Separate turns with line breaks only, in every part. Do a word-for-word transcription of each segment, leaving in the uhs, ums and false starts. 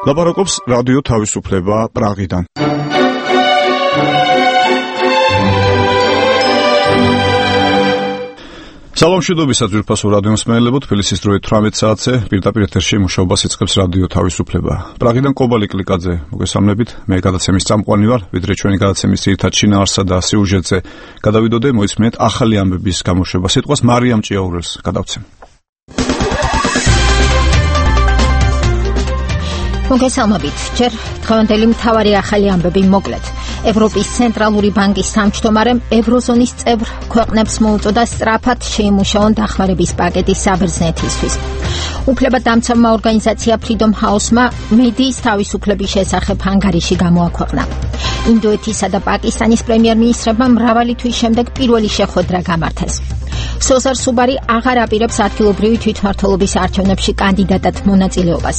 ლაპარაკობს რადიო თავისუფლება პრაღიდან. სალამ შედობისა ძვირფასო რადიო მსმენელებო, თბილისის დროით თვრამეტ საათზე პირდაპირ ეთერში მუშაობას იწყებს რადიო თავისუფლება. პრაღიდან კობალი კლიკაძე მოგესალმებით. მე გადაცემის წამყვანი ვარ, ვიდრე ჩვენი გადაცემის ძირითად შინაარსა და სიუჟეტზე გადავიდოდე, მოისმენთ ახალი ამბების გამოშვება. სიტყვას მარიამ ჭიაურელს გადავცემ.
მოგესალმებით. ჯერ დღევანდელი მთავარი ახალი ამბები მოკლედ. ევროპის ცენტრალური ბანკის თავმჯდომარემ ევროზონის წევრ ქვეყნებს მოუწოდა სწრაფად შეიმუშაონ დახმარების პაკეტი საბერძნეთისთვის. უფლებადამცავმა ორგანიზაცია Freedom House-მა მედიის თავისუფლების შესახებ ანგარიში გამოაქვეყნა. ინდოეთისა და პაკისტანის პრემიერ-მინისტრებმა მრავალი თვის შემდეგ პირველი შეხვედრა გამართეს. სოზარ სუბარი აღარ აპირებს ადგილობრივი თვითმმართველობის არჩევნებში კანდიდატად მონაწილეობას.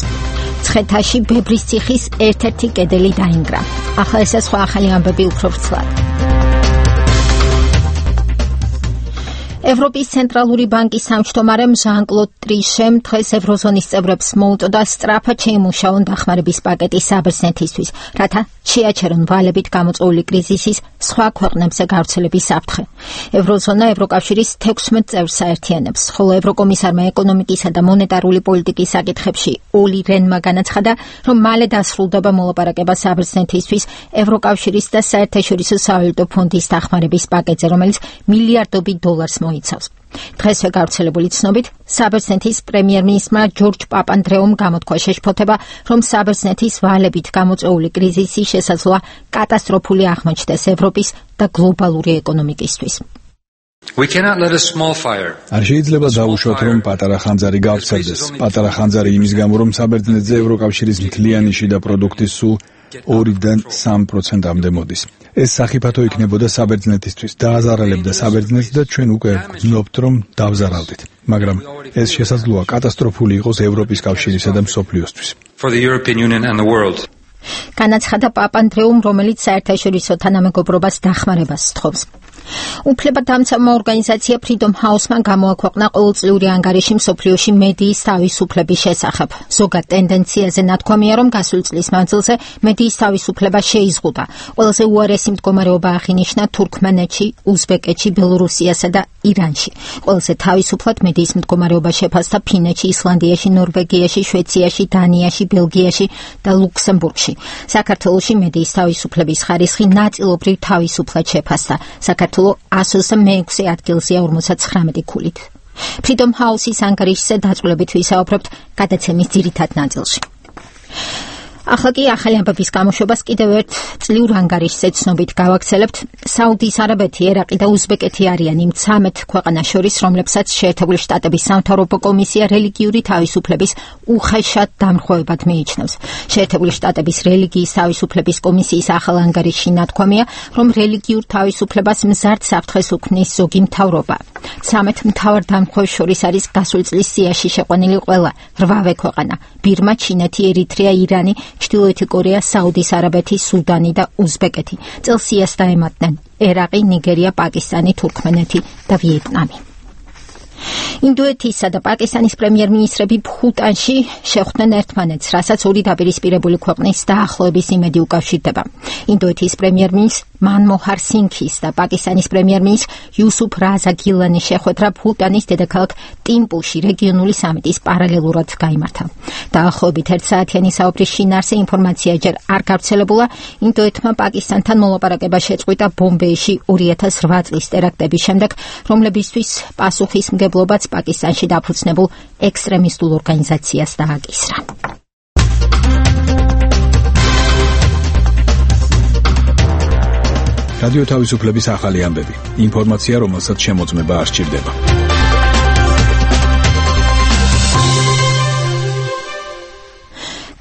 ცხეთაში ბებრის ციხის ერთ-ერთი კედელი დაინგრა. ახლა ესე სხვა ახალი ამბები უფრო ვრცლად. ევროპის ცენტრალური ბანკის თავმჯდომარემ ჟან-კლოდ ტრიშემ დღეს ევროზონის წევრებს მოუწოდა სწრაფად შეიმუშაონ დახმარების პაკეტი საბერძნეთისთვის, რათა შეაჩერონ ვალებით გამოწვეული კრიზისის სხვა ქვეყნებზე გავრცელების საფრთხე. ევროზონა ევროკავშირის თექვსმეტ წევრს აერთიანებს, ხოლო ევროკომისარმა ეკონომიკისა და მონეტარული პოლიტიკის საკითხებში ოლი რენმა განაცხადა, რომ მალე დასრულდება მოლაპარაკება საბერძნეთისთვის ევროკავშირის და საერთაშორისო სავალუტო ფონდის დახმარების პაკეტზე, რომელიც მილიარდობით დოლარს იცავს. დღესვე გავრცელებული ცნობით, საბერძნეთის პრემიერ-მინისტრმა ჯორჯ პაპანდრეუმ გამოთქვა შეშფოთება, რომ საბერძნეთის ვალებით გამოწვეული კრიზისი შესაძლოა კატასტროფული აღმოჩნდეს ევროპის და გლობალური ეკონომიკისთვის.
არ შეიძლება დავუშვათ, რომ პატარა ხანძარი გავრცელდეს. პატარა ხანძარი იმის გამო, რომ საბერძნეთზე ევროკავშირის მთლიანი შიდა პროდუქტის სულ ორიდან სამ პროცენტამდე მოდის. ეს სახიფათო იქნებოდა საბერძნეთისთვის, დააზარალებდა საბერძნეთს და ჩვენ უკვე გრძნობთ, რომ დავზარავდით. მაგრამ ეს შესაძლოა კატასტროფული იყოს ევროპის კავშირისა და მსოფლიოსთვის.
განაცხადა პაპანდრეუმ, რომელიც საერთაშორისო თანამეგობრობას დახმარებას სთხოვს. უფლებადამცავმა ორგანიზაცია Freedom House-მა გამოაქვეყნა ყოველწლიური ანგარიში მსოფლიოში მედიის თავისუფლების შესახებ. ზოგად ტენდენციაზე ნათქვამია, რომ გასული წლის მანძილზე მედიის თავისუფლება შეიზღუდა. ყველაზე უარესი მდგომარეობა აღინიშნა თურქმენეთში, უზბეკეთში, ბელორუსიასა და ირანში. ყველაზე თავისუფლად მედიის მდგომარეობა შეფასდა ფინეთში, ისლანდიაში, ნორვეგიაში, შვეიცარიაში, დანიაში, ბელგიაში და ლუქსემბურგში. საქართველოში მედიის თავისუფლების ხარისხი ნაწილობრივ თავისუფლად შეფასდა. საქართველო εκατს ოცდამეექვსე ადგილზეა ორმოცდათხრამეტი ქულით. Freedom House-ის ანგარიშზე დაწვრილებით ვისაუბრებთ გადაცემის ძირითად ნაწილში. ახლა კი ახალი ამბების გამოშვებას კიდევ ერთ წლიურ ანგარიშზე ცნობით გავაგრძელებთ. საუდის არაბეთი, ერაყი და უზბეკეთი არიან იმ ცამეტ ქვეყანას შორის, რომლებსაც შეერთებული შტატების სამთავრობო კომისია რელიგიური თავისუფლების უხეშად დამრღვევებად მიიჩნევს. შეერთებული შტატების რელიგიის თავისუფლების კომისიის ახალ ანგარიშში ნათქვამია, რომ რელიგიურ თავისუფლებას მზარდ საფრთხეს უქმნის ზოგი მთავრობა. ცამეტ მთავარ დამრღვევს შორის არის გასული წლის სიაში შეყვანილი ყველა რვავე ქვეყანა: ბირმა, ჩინეთი, ერიტრეა, ირანი, ჩრდილოეთი კორეა, საუდის არაბეთი, სუდანი და უზბეკეთი. წელს სიას დაემატნენ ერაყი, ნიგერია, პაკისტანი, თურქმენეთი და ვიეტნამი. ინდოეთისა და პაკისტანის პრემიერ-მინისტრები ბჰუტანში შეხვდნენ ერთმანეთს, რასაც ორი დაპირისპირებული ქვეყნის დაახლოების იმედი უკავშირდება. ინდოეთის პრემიერ-მინისტრ მანმოჰარ სინგჰის და პაკისტანის პრემიერ-მინისტრ იუსუფ რაზა გილანის შეხვედრა ბჰუტანის დედაქალაქ ტიმპუში რეგიონული სამიტის პარალელურად გაიმართა. დაახლოებით ერთსაათიანი საუბრის შინაარსზე ინფორმაცია ჯერ არ გავრცელებულა. ინდოეთმა პაკისტანთან მოლაპარაკება შეწყვიტა ბომბეიში ორი ათას რვა წლის ტერაქტების შემდეგ, რომლებისთვის პასუხისმგებლობაც პაკისტანში დაფუძნებულ ექსტრემისტულ ორგანიზაციას დააკისრა.
რადიო თავისუფლების ახალი ამბები. ინფორმაცია, რომელსაც შემოწმება არ სჭირდება.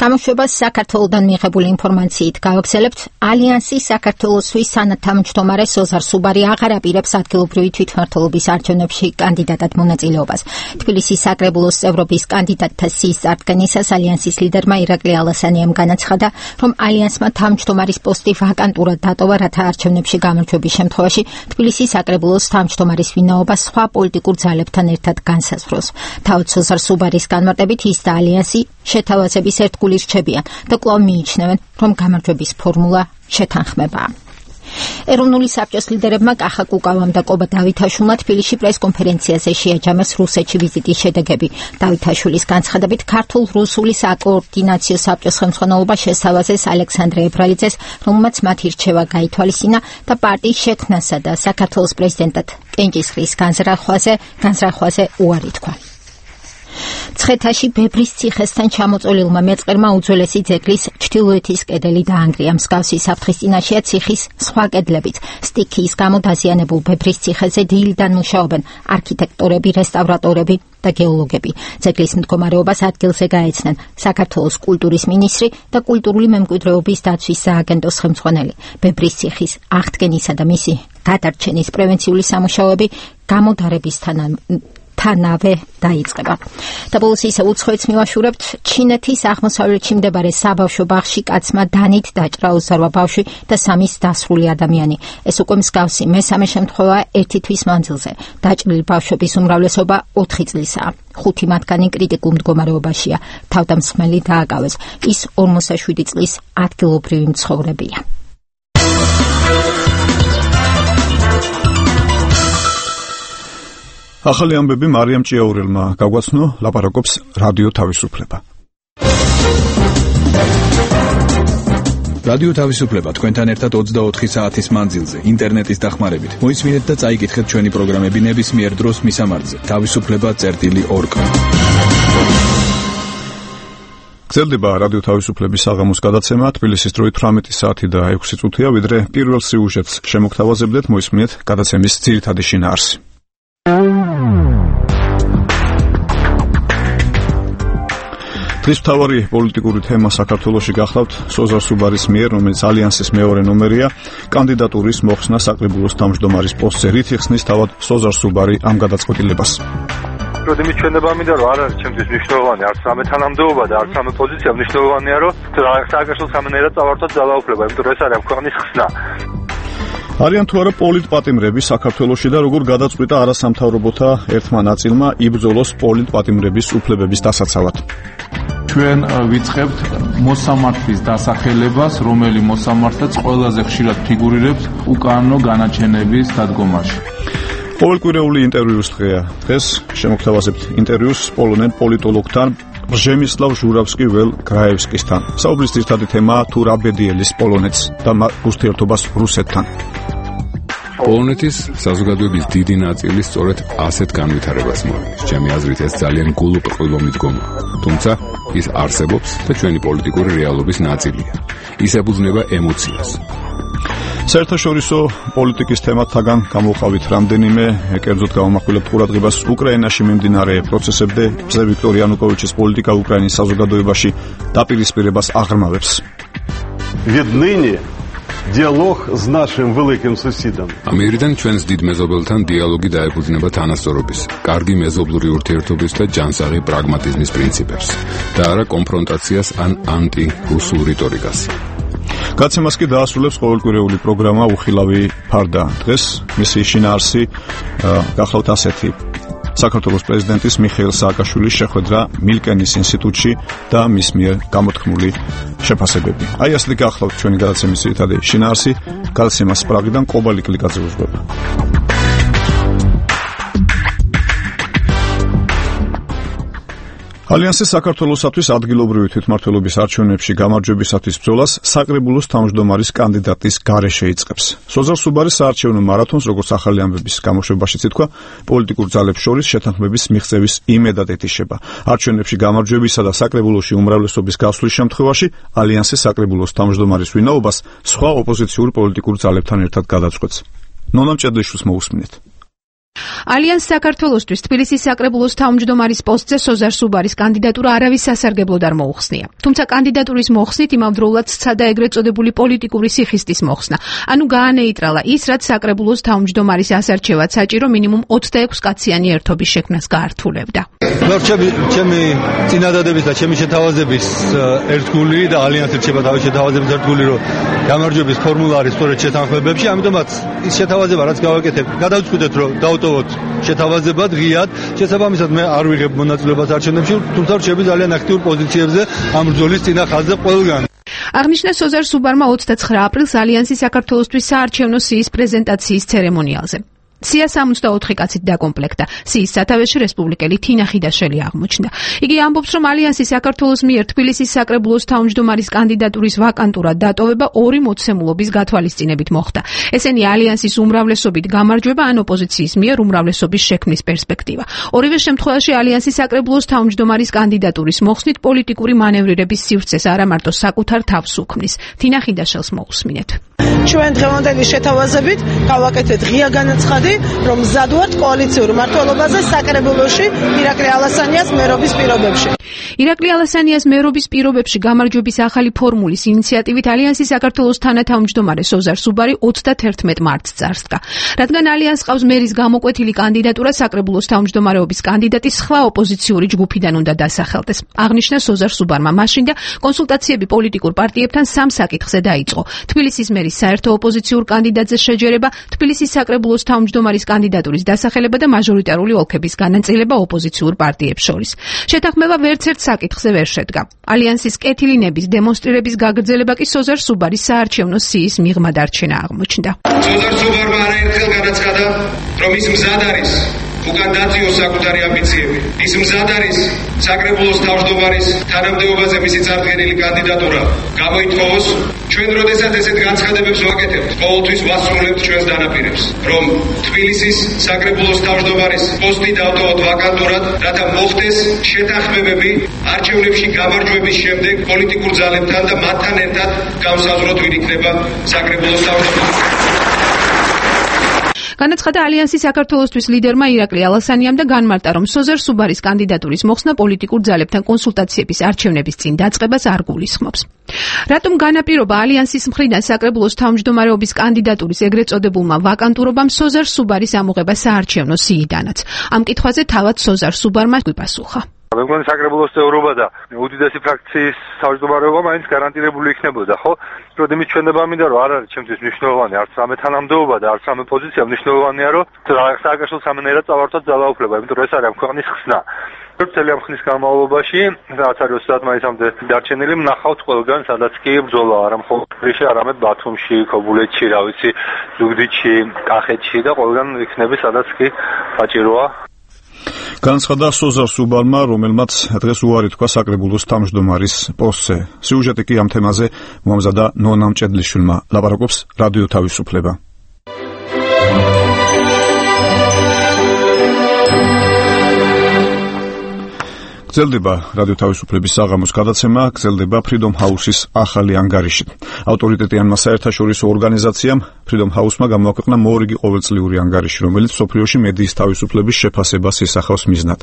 გამოშვებას საქართველოდან მიღებული ინფორმაციით გავაგრძელებთ. ალიანსის საქართველოსთვის სანათავმჯდომარე სოზარ სუბარი აღარ აპირებს ადგილობრივი თვითმმართველობის არჩევნებში კანდიდატად მონაწილეობას. თბილისის საკრებულოს წევრობის კანდიდატთა სიის წარდგენისას ალიანსის ლიდერმა ირაკლი ალასანიამ განაცხადა, რომ ალიანსმა თავმჯდომარის პოსტი ვაკანტურად დატოვა, რათა არჩევნებში გამარჯვების შემთხვევაში თბილისის საკრებულოს თავმჯდომარის ვინაობა სხვა პოლიტიკურ ძალებთან ერთად განსაზღვროს. თავად სოზარ სუბარის განმარტებით ის და ალიანსი შეთავაზების ერთგული ირჩებიან და კვლავ მიიჩნევენ, რომ გამარჯვების ფორმულა შეთანხმებაა. ეროვნული საბჭოს ლიდერებმა კახა კუკავამ და კობა დავითაშვილმა თბილისში პრესკონფერენციაზე შეაჯამეს რუსეთში ვიზიტის შედეგები. დავითაშვილის განცხადებით ქართულ-რუსული საკოორდინაციო საბჭოს ხელმძღვანელობა შესთავაზეს ალექსანდრე ებრალიძეს, რომელმაც მათი რჩევა გაითვალისწინა და პარტიის შექმნასა და საქართველოს პრეზიდენტად კენჭისყრის განზრახვაზე განზრახვაზე უარი თქვა. ცხეთაში ბებრის ციხესთან ჩამოწოლილმა მეწყერმა უძველესი ძეგლის ჩრდილოეთის კედელი დაანგრია. მსგავსი საფრთხის წინაშეა ციხის სხვა კედლებიც. სტიქიის გამო დაზიანებულ ბებრის ციხეზე დილიდან მუშაობენ არქიტექტორები, რესტავრატორები და გეოლოგები. ძეგლის მდგომარეობას ადგილზე გაეცნენ საქართველოს კულტურის მინისტრი და კულტურული მემკვიდრეობის დაცვის სააგენტოს ხელმძღვანელი. ბებრის ციხის აღდგენისა და მისი გადარჩენის პრევენციული სამუშაოები გამოდარებისთან თანავე დაიწყება. და ბოლოს ისე უცხოეთს მივაშურებთ, ჩინეთის აღმოსავლეთში მდებარე საბავშვო ბაღში კაცმა დანით დაჭრა ოცდაოთხ ბავშვი და სამის დასრული ადამიანი. ეს უკვე მსგავსი მესამე შემთხვევაა ერთი თვის მანძილზე. დაჭრილი ბავშვების უმრავლესობა ოთხი წლისაა. ხუთი მათგანი კრიტიკულ მდგომარეობაშია. თავდამსხმელი დააკავეს. ის ორმოცდაშვიდი წლის ადგილობრივი მცხოვრებია.
ახალი ამბები მარიამ ჭიაურელმა გაგვაცნო, ლაპარაკობს რადიო თავისუფლება.
რადიო თავისუფლება თქვენთან ერთად ოცდაოთხი საათის მანძილზე, ინტერნეტის დახმარებით. მოისმინეთ და წაიკითხეთ ჩვენი პროგრამები ნებისმიერ დროს მისამართზე. თავისუფლება წერტილი ორკ.
გრძელდება რადიო თავისუფლების საღამოს გადაცემა, თბილისის დროით თვრამეტი საათი და ექვსი წუთია, ვიდრე პირველ სიუჟეტს შემოგთავაზებდეთ, მოისმინეთ გადაცემის ძირითადი შინაარსი. დღის მთავარი პოლიტიკური თემა საქართველოში გახლავთ სოზარ სუბარის მიერ, რომელიც ალიანსის მეორე ნომერია, კანდიდატურის მოხსნა საკრებულოს თავმჯდომარის პოსტზე. რით იხსნის თავად სოზარ სუბარი ამ გადაწყვეტილებას?
როდი მიჩვენება მინდა რომ არ არის ჩემთვის მნიშვნელოვანი არც რამე თანამდებობა და არც რამე პოზიცია, მნიშვნელოვანია რომ სააგაშო სამნერად წავართოთ ძალაუფლება, იმიტომ რომ ეს არის ქვეყნის ხსნა.
არიან თუ არა პოლიტპატიმრები საქართველოში და როგორ გადაწყვიტა არასამთავრობოთა ერთმა ნაწილმა იბრძოლოს პოლიტპატიმრების უფლებების დასაცავად?
ჩვენ ვიწყებთ მოსამართლის დასახელებას, რომელი მოსამართლეც ყველაზე ხშირად ფიგურირებს უკანონო განაჩენების დადგომაში.
ყოველკვირეული ინტერვიუს დღეა. დღეს შემოგთავაზებთ ინტერვიუს პოლონელ პოლიტოლოგთან ბრჟემისლავ ჟურავსკი-ველ გრაევსკისთან. საუბრის ძირითადი თემაა თუ რა ბედიელის პოლონეთს და ურთიერთობას რუსეთთან.
პოლონეთის საზოგადოების დიდი ნაწილი სწორედ ასეთ განვითარებას მოიგებს. ჩემი აზრით ეს ძალიან გულუბრყვილო მიდგომაა. თუმცა ის არსებობს და ჩვენი პოლიტიკური რეალობის ნაწილია. ის ებრძნება ემოციას.
საერთაშორისო პოლიტიკის თემათაგან გამოვყავით რამდენიმე, კერძოდ გამომახვილებთ ყურადღებას უკრაინაში მიმდინარე პროცესებზე, მზე ვიქტორ იანუკოვიჩის პოლიტიკა უკრაინის საზოგადოებაში დაპირისპირებას აღრმავებს.
Віднині დიალოგ з нашим великим сусідом.
ამერიდან ჩვენს დიდ მეზობელთან დიალოგი დაეფუძნება თანასწორობის, კარგი მეზობლური ურთიერთობის და ჯანსაღი პრაგმატიზმის პრინციპებს და არა კონფრონტაციას ან ანტირუსულ რიტორიკას.
გაცემას კი დაასრულებს ყოველკვირეული პროგრამა უხილავი ფარდა. დღეს მისი შინაარსი გახლავთ ასეთი. საქართველოს პრეზიდენტის მიხეილ სააკაშვილის შეხვედრა მილკენის ინსტიტუტში და მის მიერ გამოთქმული შეფასებები. აი ასეთი გახლავთ ჩვენი გადაცემის ძირითადი შინაარსი. გადაცემას პრაღიდან კობალი კლიკაძე უძღვება. ალიანსის საქართველოსათვის ადგილობრივი თვითმმართველობის არჩევნებში გამარჯვებისათვის ბრძოლას საკრებულოს თავმჯდომარის კანდიდატის გარეშე იწყებს. სოზარ სუბარის საარჩევნო მარათონს, როგორც ახალი ამბების გამოშვებაშიც ითქვა, პოლიტიკურ ძალებს შორის შეთანხმების მიღწევის იმედად ეთიშება. არჩევნებში გამარჯვებისა და საკრებულოში უმრავლესობის გასვლის შემთხვევაში ალიანსის საკრებულოს თავმჯდომარის ვინაობას სხვა ოპოზიციურ პოლიტიკურ ძალებთან ერთად გადაწყვეტს. ნონა მჭედლიშვილს მოусმინეთ.
ალიანს საქართველოსთვის თბილისის საკრებულოს თავმჯდომარის პოსტზე სოზარ სუბარის კანდიდატურა არავის სასარგებლოდ არ მოუხსნია. თუმცა კანდიდატურის მოხსნით იმავდროულად სცადა ეგრეთ წოდებული პოლიტიკური სიხისტის მოხსნა. ანუ გაანეიტრალა ის, რაც საკრებულოს თავმჯდომარის ასარჩევად საჭირო მინიმუმ ოცდაექვსი კაციანი ერთობის შექმნას გაართულებდა.
ჩემი წინადადების და ჩემი შეთავაზების ერთგული და ალიანსი რჩება თავის შეთავაზების ერთგული, რომ გამარჯვების ფორმულა არის სწორედ შეთანხმებებში, ამიტომაც ის შეთავაზება, რაც გავაკეთებ, გადავწყვიტეთ, რომ დავტოვოთ შეთავაზებად ღიად. შესაბამისად მე არ ვიღებ მონაწილეობას არჩევნებში, თუმცა რჩები ძალიან აქტიურ პოზიციებზე ამ ბრძოლის წინა ხაზზე ყველგან.
აღნიშნა სოზარ სუბარმა ოცდაცხრა აპრილს ალიანსი საქართველოსთვის საარჩევნო სიის პრეზენტაციის ცერემონიალზე. სია სამოცდაოთხი კაცით დაკომპლექტდა. სიის სათავეში რესპუბლიკელი თინა ხიდაშელი აღმოჩნდა. იგი ამბობს, რომ ალიანსი საქართველოს მიერ თბილისის საკრებულოს თავმჯდომარის კანდიდატურის ვაკანტურად დატოვება ორი მოცემულობის გათვალისწინებით მოხდა. ესენი ალიანსის უმრავლესობით გამარჯვება ან ოპოზიციის მიერ უმრავლესობის შექმნის პერსპექტივა. ორივე შემთხვევაში ალიანსი საკრებულოს თავმჯდომარის კანდიდატურის მოხსნით პოლიტიკური მანევრირების სივრცეს არა მარტო საკუთარ თავს უქმნის. თინა ხიდაშელს მოусმინეთ.
ჩვენ დღევანდელი შეთავაზებით გავაკეთეთ ღია განაცხადი, რომ მზად ვართ კოალიციურ მმართველობაზე საკრებულოში ირაკლი ალასანიას მერობის პირობებში.
ირაკლი ალასანიას მერობის პირობებში გამარჯვების ახალი ფორმულის ინიციატივით ალიანსის საქართველოს თანათავმჯდომარე სოზარ სუბარი ოცდაათერთმეტ მარტს წარსდგა. რადგან ალიანსს ყავს მერის გამოკვეთილი კანდიდატურა, საკრებულოს თავმჯდომარეობის კანდიდატი სხვა ოპოზიციური ჯგუფიდან უნდა დასახელდეს. აღნიშნა სოზარ სუბარმა მაშინ და კონსულტაციები პოლიტიკურ პარტიებთან სამ საკითხზე დაიწყო. თბილისის მერის საერთო ოპოზიციურ კანდიდატზე შეჯერება, თბილისის საკრებულოს თავმჯდომარის კანდიდატურის დასახელება და მაჟორიტარული ოლქების განაწილება ოპოზიციურ პარტიებს შორის. შეთანხმება ვერც ერთ საკითხზე ვერ შედგა. ალიანსის კეთილინების დემონსტრირების გაგრძელება კი სოზარ სუბარის საარჩევნო სიის მიღმა დარჩენა აღმოჩნდა.
სოზარ სუბარმა არაერთხელ განაცხადა, რომ ის მზად არის უკან დაწიოს საკუთარი ამბიციები. ის მზად არის საკრებულოს თავმჯდომარის თანამდებობაზე მისი წარდგენილი კანდიდატურა გამოითხოვოს. ჩვენ როდესაც ესეთ განცხადებებს ვაკეთებთ, ყოველთვის ვასრულებთ ჩვენს დანაპირებს, რომ თბილისის საკრებულოს თავმჯდომარის პოსტი დავტოვოთ ვაკანტურად, რათა მოხდეს შეთანხმებები არჩევნებში გამარჯვების შემდეგ პოლიტიკურ ძალებთან და მათთან ერთად გამსაზღვროთ ვინ იქნება საკრებულოს თავმჯდომარე.
განაცხადა ალიანსის საქართველოსთვის ლიდერმა ირაკლი ალასანიამ და განმარტა, რომ სოზარ სუბარის კანდიდატურის მოხსნა პოლიტიკურ ძალებთან კონსულტაციების არჩევნების წინ დაწყებას არ გულისხმობს. რატომ განაპირობა ალიანსის მხრიდან საკრებულოს თავმჯდომარეობის კანდიდატურის ეგრეთ წოდებულმა ვაკანტურობამ სოზარ სუბარის ამოღება საარჩევნო სიიდანაც? ამ კითხვაზე თავად სოზარ სუბარმა გვიპასუხა.
მე მგონი საკრებულოს წევრობა და უდიდესი ფრაქციის თავმჯდომარეობა მაინც გარანტირებული იქნებოდა, ხო? როდესაც ჩვენება მინდა რომ არ არის ჩემთვის მნიშვნელოვანი არც სამე თანამდებობა და არც სამე პოზიცია, მნიშვნელოვანია რომ სააგაშო სამნაირად წავართოთ ძალაუფლება, იმიტომ რომ ეს არის ამ ქვეყნის ხსნა. წელი ამ ხნის განმავლობაში, რაც არის ოცდაათ მაისამდე დარჩენილი, ვნახავთ ყველგან, სადაც კი ბრძოლა არა მხოლოდ თბილისში, არამედ ბათუმში, ქობულეთში, რა ვიცი, ზუგდიდში, კახეთში და ყველგან იქნება, სადაც კი საჭიროა.
განაცხადა სოზარ სუბარმა, რომელმაც დღეს უარი თქვა საკრებულოს თავმჯდომარის პოსტზე. სიუჟეტი კი ამ თემაზე მომზადა ნონა მჭედლიშვილმა. ლაპარაკობს რადიო თავისუფლება. გრძელდება რადიო თავისუფლების საღამოს გადაცემა, გრძელდება Freedom House-ის ახალი ანგარიში. ავტორიტეტიანმა საერთაშორისო ორგანიზაციამ Freedom House-მა გამოაქვეყნა მორიგი ყოველწლიური ანგარიში, რომელიც მსოფლიოში მედიის თავისუფლების შეფასებას ისახავს მიზნად.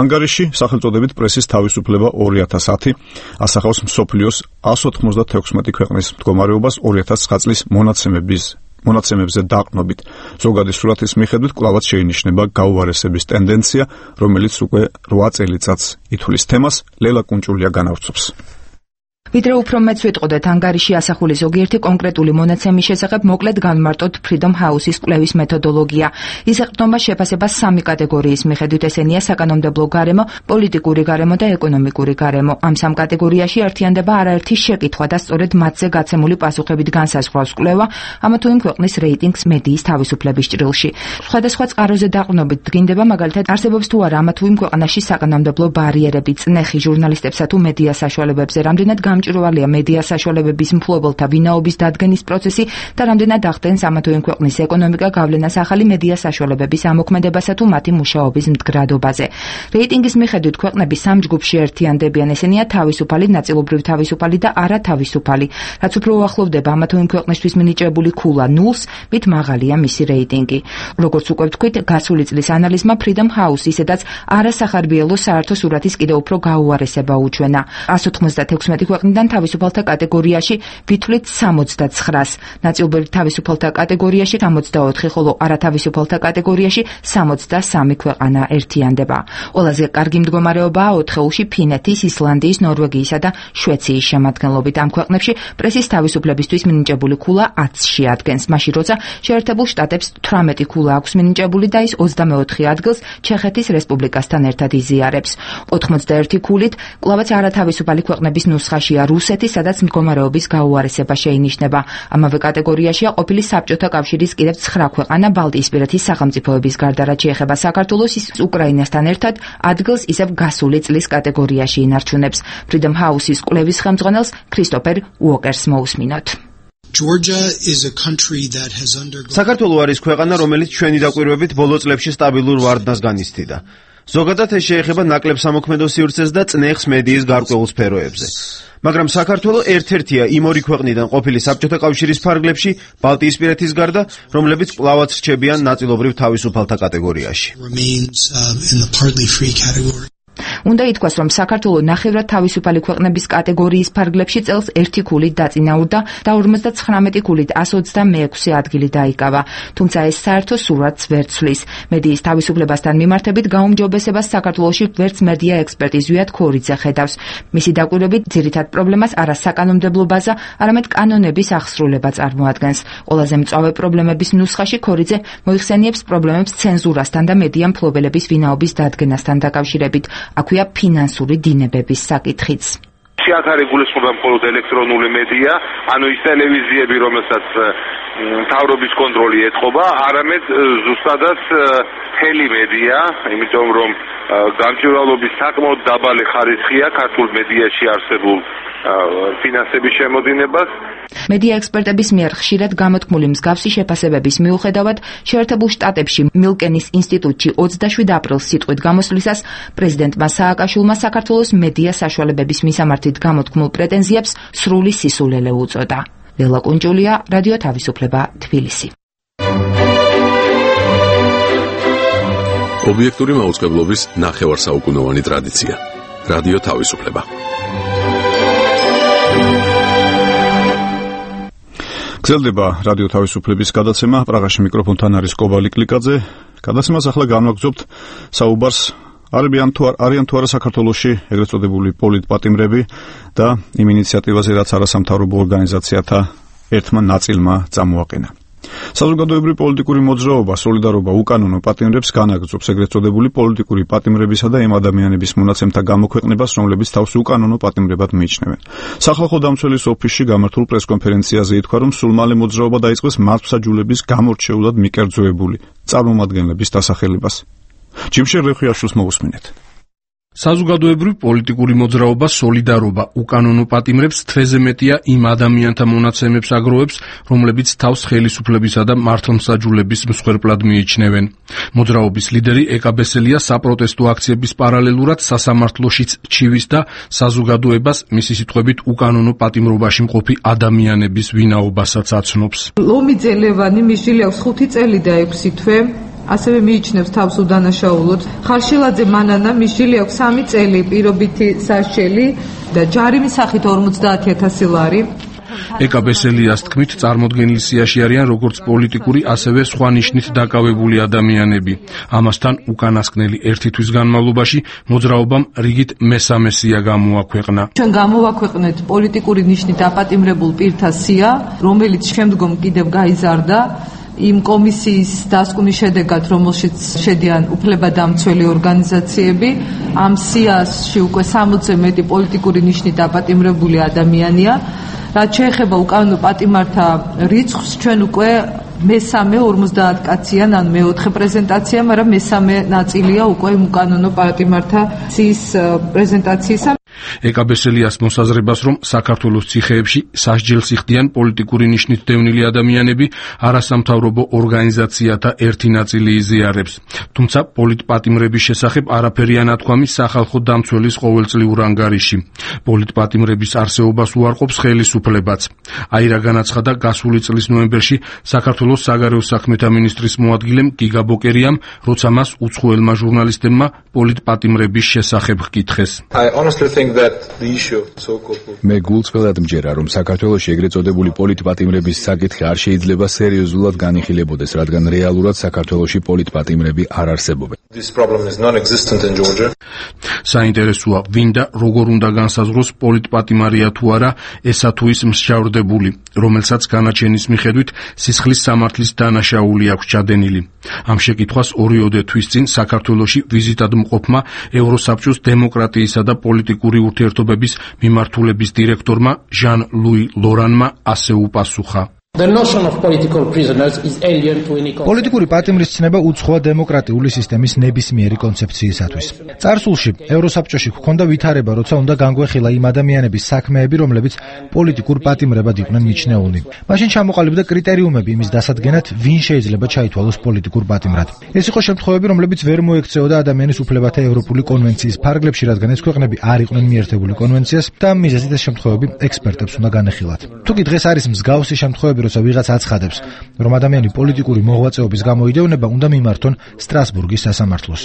ანგარიში სახელწოდებით პრესის თავისუფლება ორი ათას ათი ასახავს მსოფლიოს εκατს ოთხმოცდათექვსმეტი ქვეყნის მდგომარეობას ორი ათას ცხრა წლის მონაცემების მონაცემებზე დაყრდნობით. ზოგადი სურათის მიხედვით კვლავაც შეინიშნება გაუარესების ტენდენცია, რომელიც უკვე რვა წელიწადს ითვლის თემას. ლელა კუნჭულია განავრცობს.
ვიდრე უფრო მეც ვიტყოდეთ ანგარიში ასახული ზოგიერთი კონკრეტული მონაცემის შესახებ, მოკლედ განმარტოთ Freedom House-ის კვლევის მეთოდოლოგია. ის ეყრდნობა შეფასებას სამი კატეგორიის მიხედვით, ესენია საკანონმდებლო გარემო, პოლიტიკური გარემო და ეკონომიკური გარემო. ამ სამ კატეგორიაში ერთიანდება არაერთი შეკითხვა და სწორედ მათზე გაცემული პასუხებით განსაზღვრავს კვლევა ამა თუ იმ ქვეყნის რეიტინგს მედიის თავისუფლების ჭრილში. სხვადასხვა წყაროზე დაყრდნობით დგინდება, მაგალითად, არსებობს თუ არა ამა თუ იმ ქვეყანაში საკანონმდებლო ბარიერები, წნეხი ჟურნალისტებსა თუ მედია საშუალებებზე, რამდენად გამჭვირვალეა მედია საშუალებების მფლობელთა ვინაობის დადგენის პროცესი და რამდენად ახდენს ამა თუ იმ ქვეყნის ეკონომიკა გავლენას ახალი მედია საშუალებების ამოქმედებასა თუ მათი მუშაობის მდგრადობაზე. რეიტინგის მიხედვით ქვეყნები სამ ჯგუფში ერთიანდებიან, ესენია თავისუფალი, ნაწილობრივ თავისუფალი და არათავისუფალი. რაც უფრო უახლოვდება ამა თუ იმ ქვეყნისთვის მინიჭებული ქულა ნულს, მით მაღალია მისი რეიტინგი. როგორც უკვე ვთქვით, გასული წლის ანალიზმა Freedom House ისედაც არასახარბიელო საერთო სურათის კიდევ უფრო გაუარესება უჩვენა. εκατს ოთხმოცდათექვსმეტი ქვეყნის ქვეყნიდან თავისუფალთა კატეგორიაში ვითვლით სამოცდაცხრას, ნაწილობრივ თავისუფალთა კატეგორიაში სამოცდაოთხი, ხოლო არათავისუფალთა კატეგორიაში სამოცდასამი ქვეყანა ერთიანდება. ყველაზე კარგი მდგომარეობაა ოთხეულში ფინეთის, ისლანდიის, ნორვეგიისა და შვეციის შემადგენლობით. ამ ქვეყნებში პრესის თავისუფლებისთვის მინიჭებული ქულა ათში ადგენს, მაშინ როცა შეერთებულ შტატებს თვრამეტი ქულა აქვს მინიჭებული და ის ოცდამეოთხე ადგილს ჩეხეთის რესპუბლიკასთან ერთად იზიარებს. ოთხმოცდაერთი ქულით კვლავაც არათავისუფალი ქვეყნების ნუსხაშია რუსეთი, სადაც მდგომარეობის გაუარესება შეინიშნება. ამავე კატეგორიაშია ყოფილი საბჭოთა კავშირის კიდევ ცხრა ქვეყანა ბალტიისპირეთის სახელმწიფოების გარდა, რაც შეეხება საქართველოს, ის უკრაინასთან ერთად ადგილს ისევ გასული წლის კატეგორიაში ინარჩუნებს. Freedom House-ის კვლევის ხელმძღვანელს ქრისტოფერ უოკერს მოусმინოთ.
საქართველო არის ქვეყანა, რომელიც ჩვენი დაკვირვებით ბოლო წლებში სტაბილურ ვარდნას განიცდიდა. ზოგადად ეს შეეხება ნაკლებ სამოქმედო სივრცეს და წნეხს მედიის გარკვეულ სფეროებზე. მაგრამ საქართველო ერთ-ერთია იმ ორი ქვეყნიდან ყოფილი საბჭოთა კავშირის ფარგლებში ბალტიისპირეთის გარდა, რომლებიც კვლავაც რჩებიან ნაწილობრივ თავისუფალთა კატეგორიაში.
უნდა ითქვას, რომ საქართველო ნახევრად თავისუფალი ქვეყნების კატეგორიის ფარგლებში წელს ერთი ქულით დაწინაურდა და ორმოცდაცხრამეტი ქულით ასი ოცდამეექვსე ადგილი დაიკავა. თუმცა ეს საერთო სურათს ვერ ცვლის. მედიის თავისუფლებასთან მიმართებით გაუმჯობესებას საქართველოში ვერც მედია ექსპერტი ზვიად ქორიძე ხედავს. მისი დაკვირვებით ძირითად პრობლემას არა საკანონმდებლო ბაზა, არამედ კანონების აღსრულება წარმოადგენს. ყველაზე მწვავე პრობლემების ნუსხაში ქორიძე მოიხსენიებს პრობლემებს ცენზურასთან და მედია მფლობელების ვინაობის დადგენასთან დაკავშირებით. აქვეა ფინანსური დინებების საკითხიც.
აქ არის გულისხმობა მხოლოდ ელექტრონული მედია, ანუ ის ტელევიზიები, რომელსაც მთავრობის კონტროლი ეთყობა, არამედ ზუსტადად მთელი მედია, იმიტომ რომ გამჭვირვალობის საკმაოდ დაბალი ხარისხია ქართულ მედიაში არსებულ ფინანსების შემოდინებას.
მედია ექსპერტების მიერ ხშირად გამოთქმული მსგავსი შეფასებების მიუხედავად, შეერთებულ შტატებში მილკენის ინსტიტუტში ოცდაშვიდ აპრილს სიტყვით გამოსვლისას პრეზიდენტმა სააკაშვილმა საქართველოს მედია საშუალებების მისამართით გამოთქმულ პრეტენზიებს სრული სისულელე უწოდა. ლელა კუნჯულია, რადიო თავისუფლება, თბილისი.
ობიექტური მაუწყებლობის ნახევარსაუკუნოვანი ტრადიცია. რადიო თავისუფლება.
გრძელდება რადიო თავისუფლების გადაცემა. პრაღაში მიკროფონთან არის კობალი კლიკაძე. გადაცემას ახლა განვაგრძობთ საუბარს არიან თუ არიან თუ არა საქართველოში ეგრეთ წოდებული პოლიტპატიმრები და იმ ინიციატივაზე, რაც არასამთავრობო ორგანიზაციათა ერთმა ნაწილმა წამოაყენა. საზოგადოებრივი პოლიტიკური მოძრაობა სოლიდარობა უკანონო პატიმრებს განაგრძობს ეგრეთ წოდებული პოლიტიკური პატიმრებისა და იმ ადამიანების მონაცემთა გამოქვეყნებას, რომლებიც თავს უკანონო პატიმრებად მიიჩნევენ. სახალხო დამცველის ოფისში გამართულ პრესკონფერენციაზე ითქვა, რომ სულ მალე მოძრაობა დაიწყეს მართლმსაჯულების გამორჩეულად მიკერძოებული წარმომადგენლების დასახელებას. ჯიმშერ რეხვიაშვილს მოусმინეთ.
საზოგადოებრივი პოლიტიკური მოძრაობა სოლიდარობა უკანონო პატიმრებს თვეზე მეტია იმ ადამიანთა მონაცემებს აგროვებს, რომლებიც თავს ხელისუფლებისა და მართლმსაჯულების მსხვერპლად მიიჩნევენ. მოძრაობის ლიდერი ეკაბესელია საპროტესტო აქციების პარალელურად სასამართლოშიც ჩივის და საზოგადოებას მისი სიტყვებით უკანონო პატიმრობაში მყოფი ადამიანების ვინაობასაც აცნობს.
ლომიძე ლევანი მისული აქვს ხუთი წელი და ექვსი თვე. ასევე მიიჩნევს თავს უდანაშაულოდ. ხარშილაძე მანანა მისული აქვს სამი წელი პირობითი სასჯელი და ჯარიმის სახით ორმოცდაათი ათასი ლარი.
ეკაბესელიას თქმით, წარმოდგენილ სიაში არიან როგორც პოლიტიკური, ასევე სხვა ნიშნით დაკავებული ადამიანები. ამასთან უკანასკნელი ერთი თვის განმავლობაში მოძრაობამ რიგით მესამე სია გამოაქვეყნა.
ჩვენ გამოვაქვეყნეთ პოლიტიკური ნიშნით აპატიმრებულ პირთა სია, რომელიც შემდგომ კიდევ გაიზარდა იმ კომისიის დასკვნის შედეგად, რომელშიც შედიან უფლებადამცველი ორგანიზაციები. ამ სიაში უკვე სამოცზე მეტი პოლიტიკური ნიშნით აპატიმრებული ადამიანია. რაც შეეხება უკანონო პატიმართა რიცხვს, ჩვენ უკვე მესამე ორმოცდაათ კაციან, ან მეოთხე პრეზენტაცია, მაგრამ მესამე ნაწილია უკვე უკანონო პატიმართა სიის პრეზენტაციისა.
ეკაბესელიას მოსაზრებას, რომ საქართველოს ციხეებში სასჯელს იხდიან პოლიტიკური ნიშნით დევნილი ადამიანები, არასამთავრობო ორგანიზაციათა ერთი ნაწილი იზიარებს. თუმცა პოლიტპატიმრების შესახებ არაფერი ანათქვამი სახალხო დამცველის ყოველწლიურ ანგარიში. პოლიტპატიმრების არსებობას უარყოფს ხელისუფლებაც. აირა განაცხადა გასული წლის ნოემბერში საქართველოს საგარეო საქმეთა მინისტრის მოადგილემ გიგა ბოკერიამ, როცა მას უცხოელმა ჟურნალისტებმა პოლიტპატიმრების შესახებ ჰკითხეს.
I honestly think that
მე გულწრფელად მჯერა, რომ საქართველოში ეგრეთ წოდებული პოლიტპატიმრების საკითხი არ შეიძლება სერიოზულად განიხილებოდეს, რადგან რეალურად საქართველოში პოლიტპატიმრები არ არსებობენ.
საინტერესოა, ვინ და როგორ უნდა განსაზღვროს პოლიტპატიმარია თუ არა ესა თუ ის მსჯავრდებული, რომელსაც განაჩენის მიხედვით სისხლის სამართლის დანაშაული აქვს ჩადენილი. ამ შეკითხვას ორიოდე თვის წინ საქართველოში ვიზიტად მყოფმა ევროსაბჭოს დემოკრატიისა და პოლიტიკური ურთიერთობების მიმართულების დირექტორმა ჟან ლუი ლორანმა ასე უპასუხა.
პოლიტიკური პატიმრის ცნება უცხოა დემოკრატიული სისტემის ნებისმიერი კონცეფციისათვის. წარსულში ევროსაბჭოში ჰქონდა ვითარება, როცა უნდა განგვეხილა იმ ადამიანების საქმეები, რომლებიც პოლიტიკურ პატიმრებად იყვნენ მიჩნეულნი. მაშინ ჩამოყალიბდა კრიტერიუმები იმის დასადგენად, ვინ შეიძლება ჩაითვალოს პოლიტიკურ პატიმრად. ეს იყო შემთხვევები, რომლებიც ვერ მოექცეოდა ადამიანის უფლებათა ევროპული კონვენციის ფარგლებში, რადგან ეს ქვეყნები არ იყვნენ მიერთებული კონვენციას და ამ მიზეზით ეს შემთხვევები ექსპერტებს უნდა განეხილათ. თუკი დღეს არის მსგავსი შემთხვევები, როცა ვიღაც აცხადებს, რომ ადამიანი პოლიტიკური მოღვაწეობის გამო იდეუნება, უნდა მიმართონ სტრასბურგის სასამართლოს.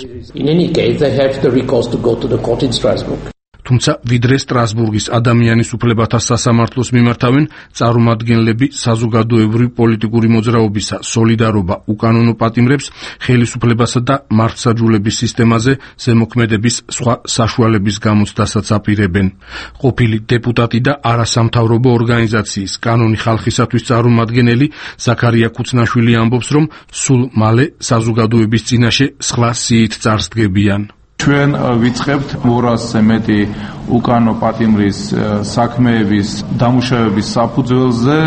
თუმცა ვიდრე სტრასბურგის ადამიანის უფლებათა სასამართლოს მიმართავენ, წარმომადგენლები საზოგადოებრივი პოლიტიკური მოძრაობისა სოლიდარობა უკანონო პატიმრებს ხელისუფლებასა და მართლმსაჯულების სისტემაზე ზემოქმედების სხვა საშუალების გამოცდასაც აპირებენ. ყოფილი დეპუტატი და არასამთავრობო ორგანიზაციის კანონი ხალხისათვის წარმომადგენელი ზაქარია ქუცნაშვილი ამბობს, რომ სულ მალე საზოგადოების წინაშე სხვა სიით წარსდგებიან.
ჩვენ ვიწყებთ ორასზე მეტი უკანო პატიმრის საქმეების დამუშავების საფუძველზე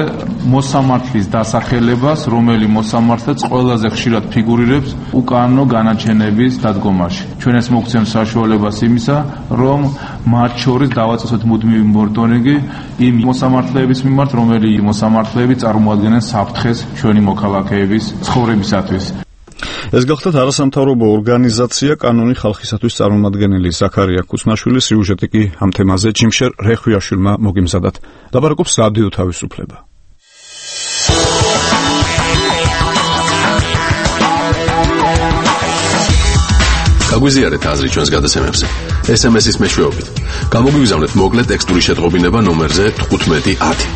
მოსამართლის დასახელებას, რომელიც მოსამართლეც ყველაზე ხშირად ფიგურირებს უკანო განაჩენების დადგომაში. ჩვენ ეს მოგცემს საშუალებას იმისა, რომ მათ შორის დავაწესოთ მუდმივი მონიტორინგი იმ მოსამართლეების მიმართ, რომელი მოსამართლეები წარმოადგენენ საფრთხეს ჩვენი მოქალაქეების ცხოვრებისათვის.
ეს გახლდათ არასამთავრობო ორგანიზაცია კანონი ხალხისათვის წარმომადგენელი ზაქარია ქუცნაშვილის სიუჟეტი კი ამ თემაზე ჯიმშერ რეხვიაშვილმა მოგიმზადათ. ლაპარაკობს რადიო თავისუფლება.
გაგვიზიარეთ აზრი ჩვენს გადაცემებზე. ეს ემ ეს-ის მეშვეობით. გამოგვიგზავნეთ მოკლე ტექსტური შეტყობინება ნომერზე თხუთმეტი ათი.